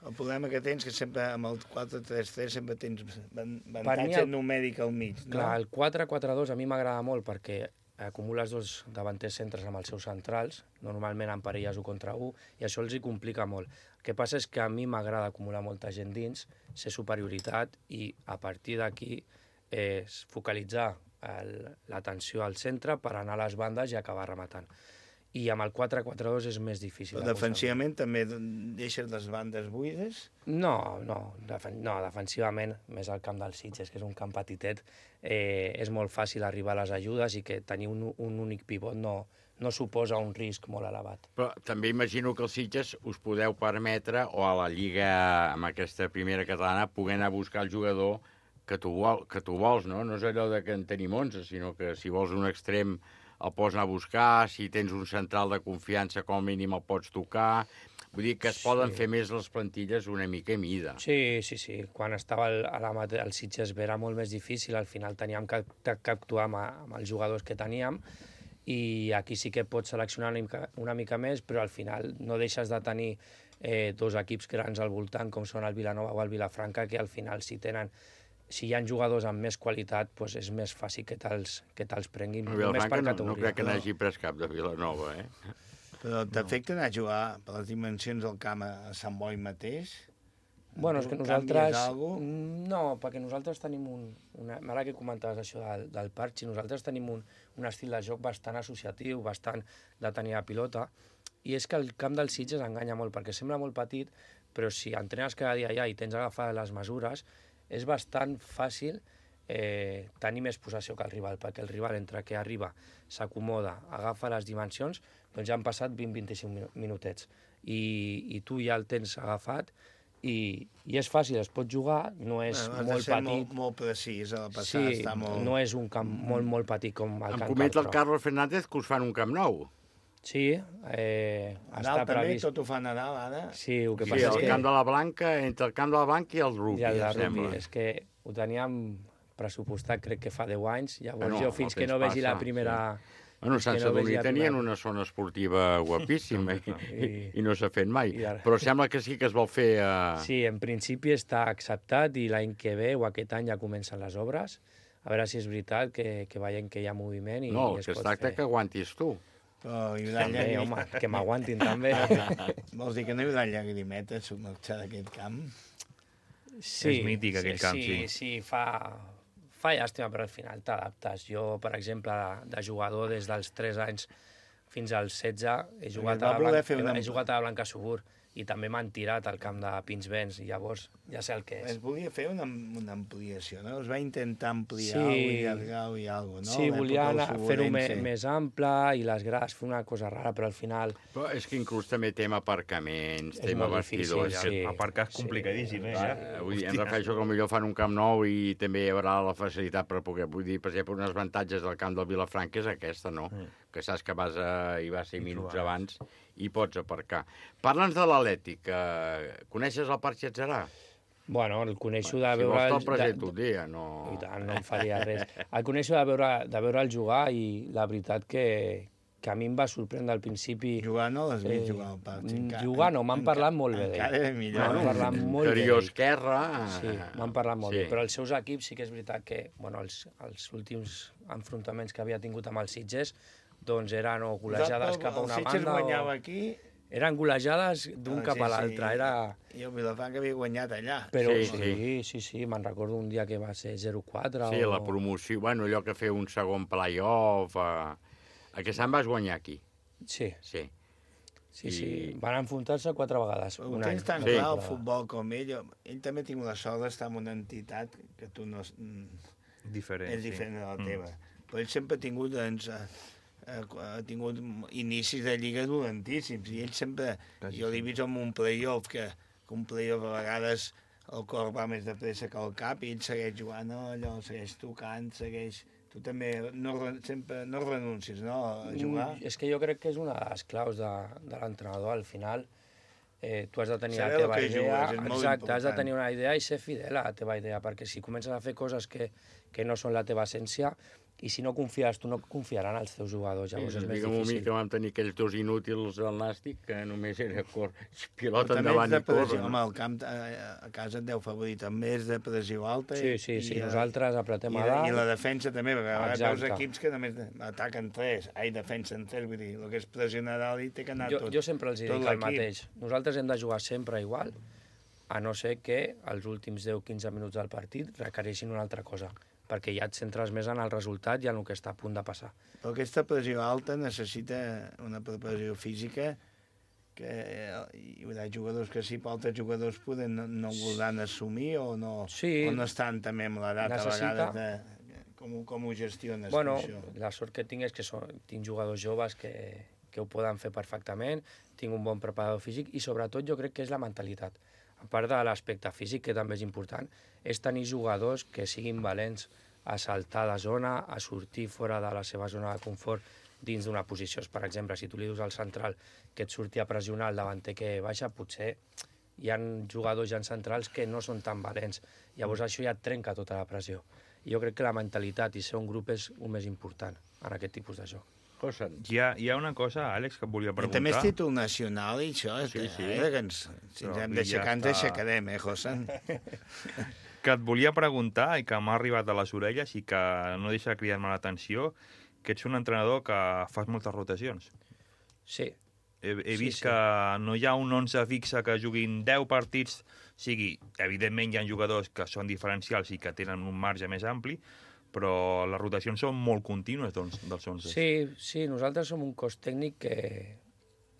el problema que tens que sempre amb el 4-3-3 sempre tens avantatge numèric al mig. Clar, el 4-4-2 a mi m'agrada molt perquè acumules 2 davanters centres amb els seus centrals, normalment en parelles 1 contra 1, i això els hi complica molt. El que passa és que a mi m'agrada acumular molta gent dins, ser superioritat, i a partir d'aquí focalitzar l'atenció al centre per anar a les bandes i acabar rematant. I amb el 4-4-2 és més difícil. Però defensivament també deixes les bandes buides? No, defensivament, més al camp del Sitges, que és un camp petitet, és molt fàcil arribar a les ajudes i que tenir un únic pivot no suposa un risc molt elevat. Però també imagino que els Sitges us podeu permetre, o a la Lliga, amb aquesta primera catalana, poder anar a buscar el jugador que tu vols, no? No és allò de que en tenim 11, sinó que si vols un extrem el pots anar a buscar, si tens un central de confiança com a mínim el pots tocar. Vull dir que es poden fer més les plantilles una mica a mida. Sí. Quan estava el Sitges era molt més difícil, al final teníem que actuar amb els jugadors que teníem, i aquí sí que pots seleccionar una mica més, però al final no deixes de tenir 2 equips grans al voltant, com són el Vilanova o el Vilafranca, que al final si hi ha jugadors amb més qualitat, doncs és més fàcil que te'ls prenguin només per categoria. No crec que n'hagi pres cap de Vilanova, Però t'afecta anar a jugar per les dimensions del camp a Sant Boi mateix? Bueno, és que nosaltres... No, perquè nosaltres tenim ara que comentaves això del parc, nosaltres tenim un estil de joc bastant associatiu, bastant de tenir la pilota, i és que el camp del Sitges enganya molt, perquè sembla molt petit, però si entrenes cada dia allà i tens agafades les mesures, és bastant fàcil tenir més possessió que el rival, perquè el rival, entre que arriba, s'acomoda, agafa les dimensions, doncs ja han passat 20-25 minutets. I tu ja el tens agafat, i és fàcil, es pot jugar, no és molt petit. Molt precís, a la passada està molt... No és un camp molt petit com el Camp Em comenta el Carlos Fernández que us fan un camp nou. Sí, està previst. Tot ho fan a dalt, ara? Sí, el que passa és que... Camp de la Blanca, entre el Camp de la Blanca i el rugby, em sembla. És que ho teníem pressupostat, crec que fa 10 anys, llavors jo fins que no vegi la primera... Bueno, Sant Sadurní tenien una zona esportiva guapíssima i no s'ha fet mai. Però sembla que sí que es vol fer... Sí, en principi està acceptat i l'any que ve o aquest any ja comencen les obres. A veure si és veritat que veiem que hi ha moviment i es pot fer. No, el que es tracta que aguantis tu. També, home, que m'aguantin també. Vols dir que no hi haurà llagrimetes submergir d'aquest camp? Sí, és mític aquell camp, sí. Sí, fa llàstima, però al final t'adaptes. Jo, per exemple, de jugador des dels 3 anys fins als 16 he jugat a la Blanca Subur i també m'han tirat al camp de Pinsbens, i llavors ja sé el que és. Es volia fer una ampliació, no? Es va intentar ampliar i allargar-ho i alguna cosa, no? Sí, volien fer-ho més ample i les grades, fer una cosa rara, però al final... Però és que inclús també tema aparcaments, tema vestidors... Aparcar és complicadíssim, Vull dir, em refereixo que potser fan un camp nou i també hi haurà la facilitat per poder... Vull dir, per exemple, unes avantatges del camp del Vilafranca és aquesta, no? Que saps que hi vas 5 minuts abans i pots aparcar. Parla'ns de l'Atlètic. Coneixes el Parc Xatzarà? Bueno, el coneixo de veure... Si vols te'l presento un dia, no... I tant, no em faria res. El coneixo de veure'l jugar i la veritat que a mi em va sorprendre al principi... Jugar no l'has vist jugar al Parc? Jugar no, m'han parlat molt bé d'ell. Encara millor. M'han parlat molt bé d'ell. Esquerra... Sí, m'han parlat molt bé. Però els seus equips sí que és veritat que els últims enfrontaments que havia tingut amb els Sitges doncs eren o golejades cap a una banda... El Sitges guanyava aquí... Eren golejades d'un cap a l'altre. I el Vilafranca havia guanyat allà. Però sí, me'n recordo un dia que va ser 0-4 Sí, la promoció, bueno, allò que fer un segon play-off... Aquest any vas guanyar aquí. Sí. Sí. Van enfrontar-se 4 vegades. Ho tens tan clar el futbol com ell. Ell també ha tingut la sort d'estar en una entitat que tu no... Diferent. És diferent de la teva. Però ell sempre ha tingut... ha tingut inicis de lliga dolentíssims i ell sempre, jo l'he vist en un play-off que un play-off a vegades el cor va més de pressa que el cap i ell segueix jugant allò, segueix tocant, segueix... Tu també sempre no renuncis, no, a jugar? És que jo crec que és una de les claus de l'entrenador. Al final tu has de tenir la teva idea, exacte, has de tenir una idea i ser fidel a la teva idea, perquè si comences a fer coses que no són la teva essència, I si no confies, tu no confiaran els teus jugadors, llavors és més difícil. Que vam tenir aquells dos inútils al Nàstic, que només era pilota Però endavant i pressió, corre. home, el camp a casa et deu favorir també, és de pressió alta. Sí, nosaltres apretem a dalt. I la defensa també, perquè a vegades veus Exacte. equips que només ataquen 3, defensen 3, vull dir, el que és pressionar a dalt i té que anar tot. Jo sempre els dic el mateix. Nosaltres hem de jugar sempre igual, a no ser que els últims 10-15 minuts del partit requereixin una altra cosa, perquè ja et centres més en el resultat i en el que està a punt de passar. Però aquesta pressió alta necessita una preparació física que hi haurà jugadors que sí, però altres jugadors poden no voldran assumir o no estan també amb l'edat a vegades com ho gestiones? Bueno, la sort que tinc és que tinc jugadors joves que ho poden fer perfectament, tinc un bon preparador físic i sobretot jo crec que és la mentalitat. A part de l'aspecte físic, que també és important, és tenir jugadors que siguin valents a saltar de zona, a sortir fora de la seva zona de confort dins d'una posició. Per exemple, si tu li dius al central que et surti a pressionar el davanter que baixa, potser hi ha jugadors ja centrals que no són tan valents. Llavors això ja et trenca tota la pressió. I jo crec que la mentalitat i ser un grup és el més important en aquest tipus de joc. Hi ha una cosa, Àlex, que et volia preguntar. I també és títol nacional i això, que si ens hem d'aixecar, ens aixecarem, Josan? Que et volia preguntar i que m'ha arribat a les orelles i que no deixa de cridar-me l'atenció, que ets un entrenador que fas moltes rotacions. Sí. He vist que no hi ha un 11 fixe que juguin 10 partits, evidentment hi ha jugadors que són diferencials i que tenen un marge més ampli, però les rotacions són molt contínues dels 11. Sí, nosaltres som un cos tècnic que...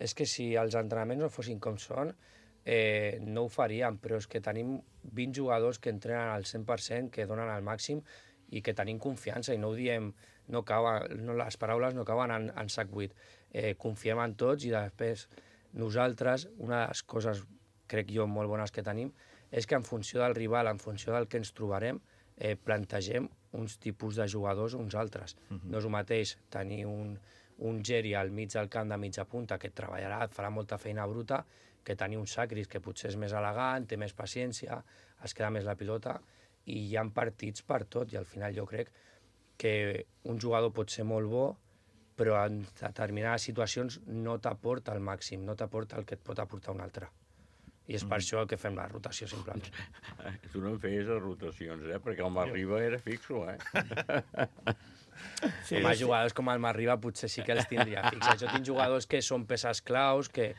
És que si els entrenaments no fossin com són, no ho faríem, però és que tenim 20 jugadors que entrenen al 100%, que donen al màxim i que tenim confiança i no ho diem, les paraules no cauen en sac buit. Confiem en tots i després nosaltres, una de les coses, crec jo, molt bones que tenim, és que en funció del rival, en funció del que ens trobarem, plantegem uns tipus de jugadors o uns altres. No és el mateix tenir un Geri al mig del camp de mitja punta que treballarà, et farà molta feina bruta, que tenir un Sacris que potser és més elegant, té més paciència, es queda més la pilota, i hi ha partits per tot, i al final jo crec que un jugador pot ser molt bo, però en determinades situacions no t'aporta el màxim, no t'aporta el que et pot aportar un altre. I és per això que fem la rotació, simplement. Tu no em feies les rotacions, perquè el Marriba era fixo, Sí, jugadors com el Marriba potser sí que els tindria fixes. Jo tinc jugadors que són peces claus, que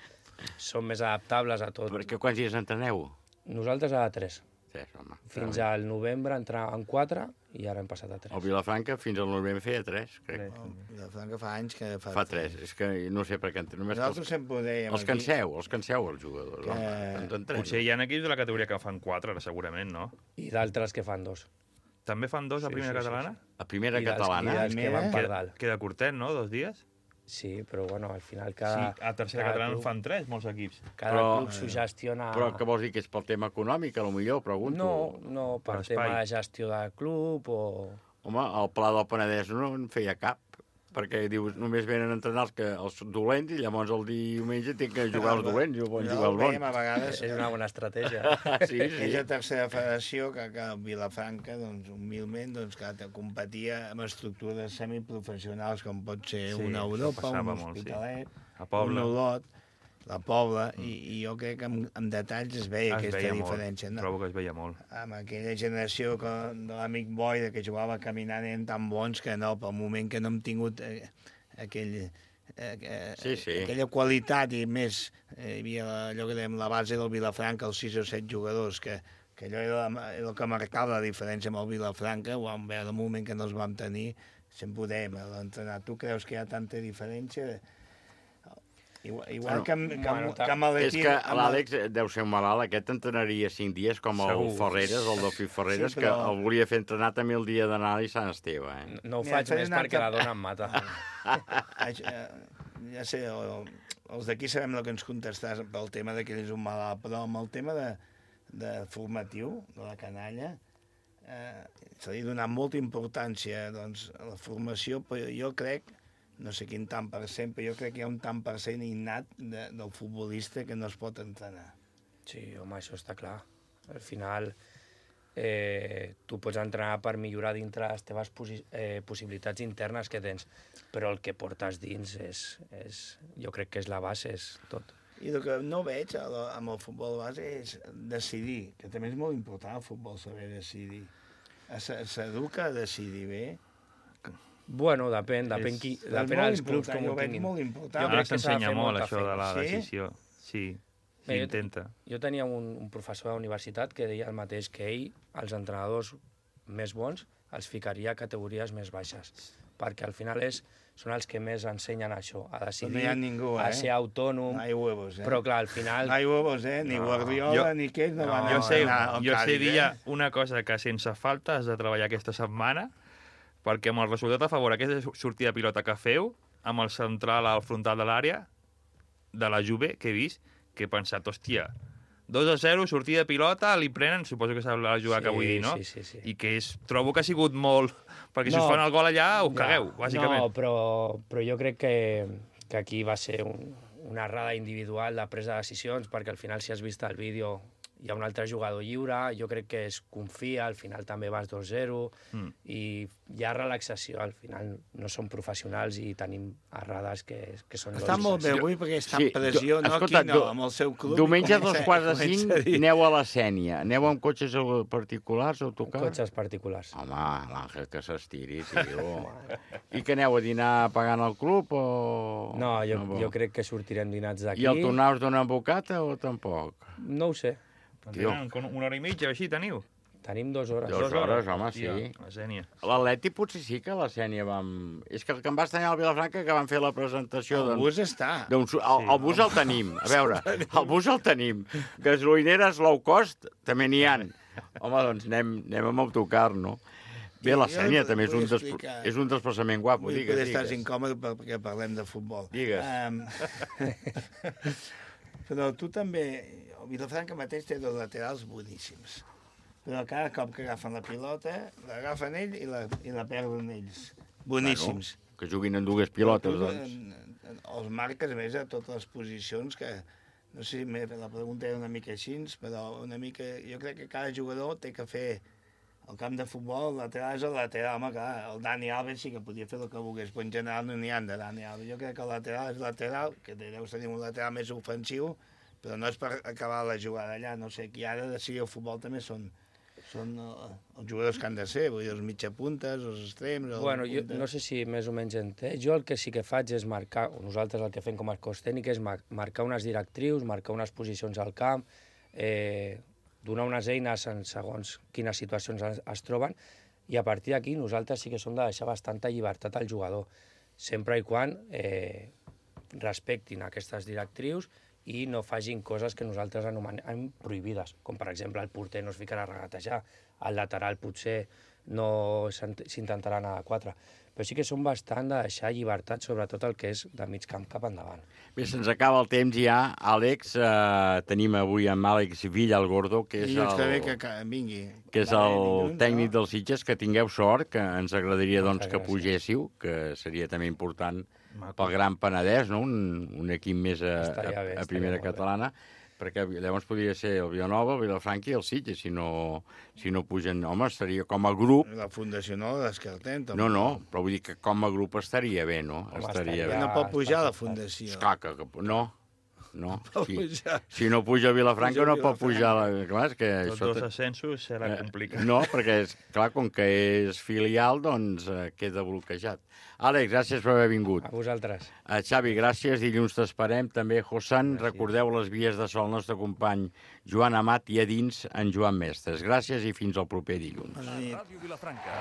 són més adaptables a tot. Perquè quants dies entreneu? Nosaltres a 3. Home. Fins al novembre entràvem 4 i ara hem passat a 3. El Vilafranca fins al novembre feia 3, crec. El Vilafranca fa anys que fa 3. És que no sé per què... Nosaltres sempre ho dèiem. Els canseu els jugadors. Potser hi ha equips de la categoria que fan 4, segurament, no? I d'altres que fan 2. També fan 2 a primera catalana? A primera catalana? I dels que van per dalt. Queda curtet, no? 2 dies? Sí, però bueno, al final cada... Sí, a tercera catalana en fan 3, molts equips. Cada club s'ho gestiona... Però què vols dir, que és pel tema econòmic, potser, pregunto? No, per tema de gestió del club o... Home, el Pla del Penedès no en feia cap, perquè dius, només venen a entrenar els dolents i llavors el diumenge tenen que jugar els dolents i poden jugar els bons. A vegades és una bona estratègia. Sí. És la tercera federació que Vilafranca, humilment, que competia amb estructures semiprofessionals com pot ser una Europa, un Hospitalet, un Olot, la Pobla, i jo crec que amb detalls es veia aquesta diferència. Trobo que es veia molt. Amb aquella generació de l'amic Boy, que jugava caminant, eren tan bons que no, pel moment que no hem tingut aquella qualitat i més, hi havia allò que dèiem la base del Vilafranca, els 6 o 7 jugadors, que allò era el que marcava la diferència amb el Vilafranca, ho vam veure el moment que no els vam tenir, sempre ho dèiem, l'entrenar. Tu creus que hi ha tanta diferència? Igual que amb És l'Atleti... que l'Àlex deu ser un malalt, aquest entrenaria 5 dies, com el Ferreres, el Delfí Ferreres, que el volia fer entrenar també el dia d'anar a Sant Esteve. No ho faig més perquè la dona em mata. Ja sé, els d'aquí sabem el que ens contestàs pel tema que ell és un malalt, però amb el tema de formatiu, de la canalla, s'ha donat molta importància a la formació, però jo crec, no sé quin tant per cent, però jo crec que hi ha un tant per cent innat del futbolista que no es pot entrenar. Sí, home, això està clar. Al final, tu pots entrenar per millorar dintre les teves possibilitats internes que tens, però el que portes dins jo crec que és la base, és tot. I el que no veig amb el futbol base és decidir, que també és molt important el futbol, saber decidir. S'educa a decidir bé? Bueno, depèn dels clubs com ho tinguin. Molt important. Ara s'ensenya molt això de la decisió. Sí, s'intenta. Jo tenia un professor de universitat que deia el mateix, que ell, els entrenadors més bons, els ficaria a categories més baixes, perquè al final són els que més ensenyen això, a decidir, no hi ha ningú, a ser autònom. No hi ha huevos, Però clar, al final... No hi ha huevos, ni Guardiola, ni què, no van Jo sé dir una cosa, que sense falta has de treballar aquesta setmana, perquè amb el resultat a favor, aquesta sortida de pilota que feu, amb el central al frontal de l'àrea, de la Juve, que he vist, que he pensat, hòstia, 2-0, sortida de pilota, li prenen, suposo que sap la jugada que vull dir, no? Sí. I que trobo que ha sigut molt... Perquè si us fan el gol allà, us cagueu, bàsicament. No, però jo crec que aquí va ser una errada individual de presa de decisions, perquè al final, si has vist el vídeo, hi ha un altre jugador lliure, jo crec que es confia, al final també vas 2-0, i hi ha relaxació, al final no som professionals i tenim errades que són lògiques. Està molt bé avui perquè està en pressió, no aquí, no, amb el seu club. Diumenge a 2:45 aneu a la Sénia. Aneu amb cotxes particulars o autocar? Cotxes particulars. Home, l'Àngel que s'estiri, tio. I que aneu a dinar pagant al club o...? No, jo crec que sortirem dinats d'aquí. I el tornar us donen bocata o tampoc? No ho sé. Una hora i mitja, així, teniu? Tenim 2 hores. 2 hores, home, sí. La Sènia. L'Atleti potser sí que a la Sènia vam... És que el que em va estranyar al Vilafranca que van fer la presentació... El bus està. El bus el tenim, a veure, el bus el tenim. Gasolineres low cost també n'hi ha. Home, doncs anem amb autocar, no? Bé, la Sènia també és un desplaçament guapo. Digues. Estàs incòmode perquè parlem de futbol. Digues. Però tu també... El Vilafranca mateix té 2 laterals boníssims. Però cada cop que agafen la pilota, l'agafen ell i la perden ells. Boníssims. Bueno, que juguin en 2 pilotes, doncs. Els marques més a totes les posicions, que no sé si la pregunta era una mica així, però una mica... Jo crec que cada jugador té que fer el camp de futbol, el lateral és el lateral. Home, clar, el Dani Alves sí que podia fer el que volgués, però en general no n'hi ha de Dani Alves. Jo crec que el lateral és lateral, que deu tenir un lateral més ofensiu, però no és per acabar la jugada allà. No sé, qui ha de decidir el futbol també són els jugadors que han de ser, vull dir, els mitjapuntes, els extrems... Bueno, jo no sé si més o menys entès. Jo el que sí que faig és marcar, o nosaltres el que fem com a cos tècnic és marcar unes directrius, marcar unes posicions al camp, donar unes eines en segons quines situacions es troben, i a partir d'aquí nosaltres sí que som de deixar bastanta llibertat al jugador, sempre i quan respectin aquestes directrius i no facin coses que nosaltres anomenem prohibides, com per exemple el porter no es ficarà a regatejar, el lateral potser no s'intentarà anar a 4, però sí que som bastant de deixar llibertat, sobretot el que és de mig camp cap endavant. Bé, se'ns acaba el temps ja. Àlex, tenim avui amb Àlex Villalgordo, que és el tècnic dels Sitges, que tingueu sort, que ens agradaria doncs, que pugéssiu, que seria també important pel Gran Penedès, no? Un equip més a primera catalana, perquè llavors podria ser el Vilanova, el Vilafranca i el Sitges, si no pugen... Home, estaria com a grup... La fundació no la descartem, tampoc. No, però vull dir que com a grup estaria bé, no? Estaria bé. No pot pujar la fundació. Esclar, no. Si no puja a Vilafranca no pot pujar... Clar, és que tots 2 ascensos serà complicat. No, perquè, clar, com que és filial, doncs queda bloquejat. Àlex, gràcies per haver vingut. A vosaltres. Xavi, gràcies. Dilluns t'esperem. També, Josan, recordeu les vies de so al nostre company Joan Amat i a dins en Joan Mestres. Gràcies i fins al proper dilluns. Ràdio Vilafranca.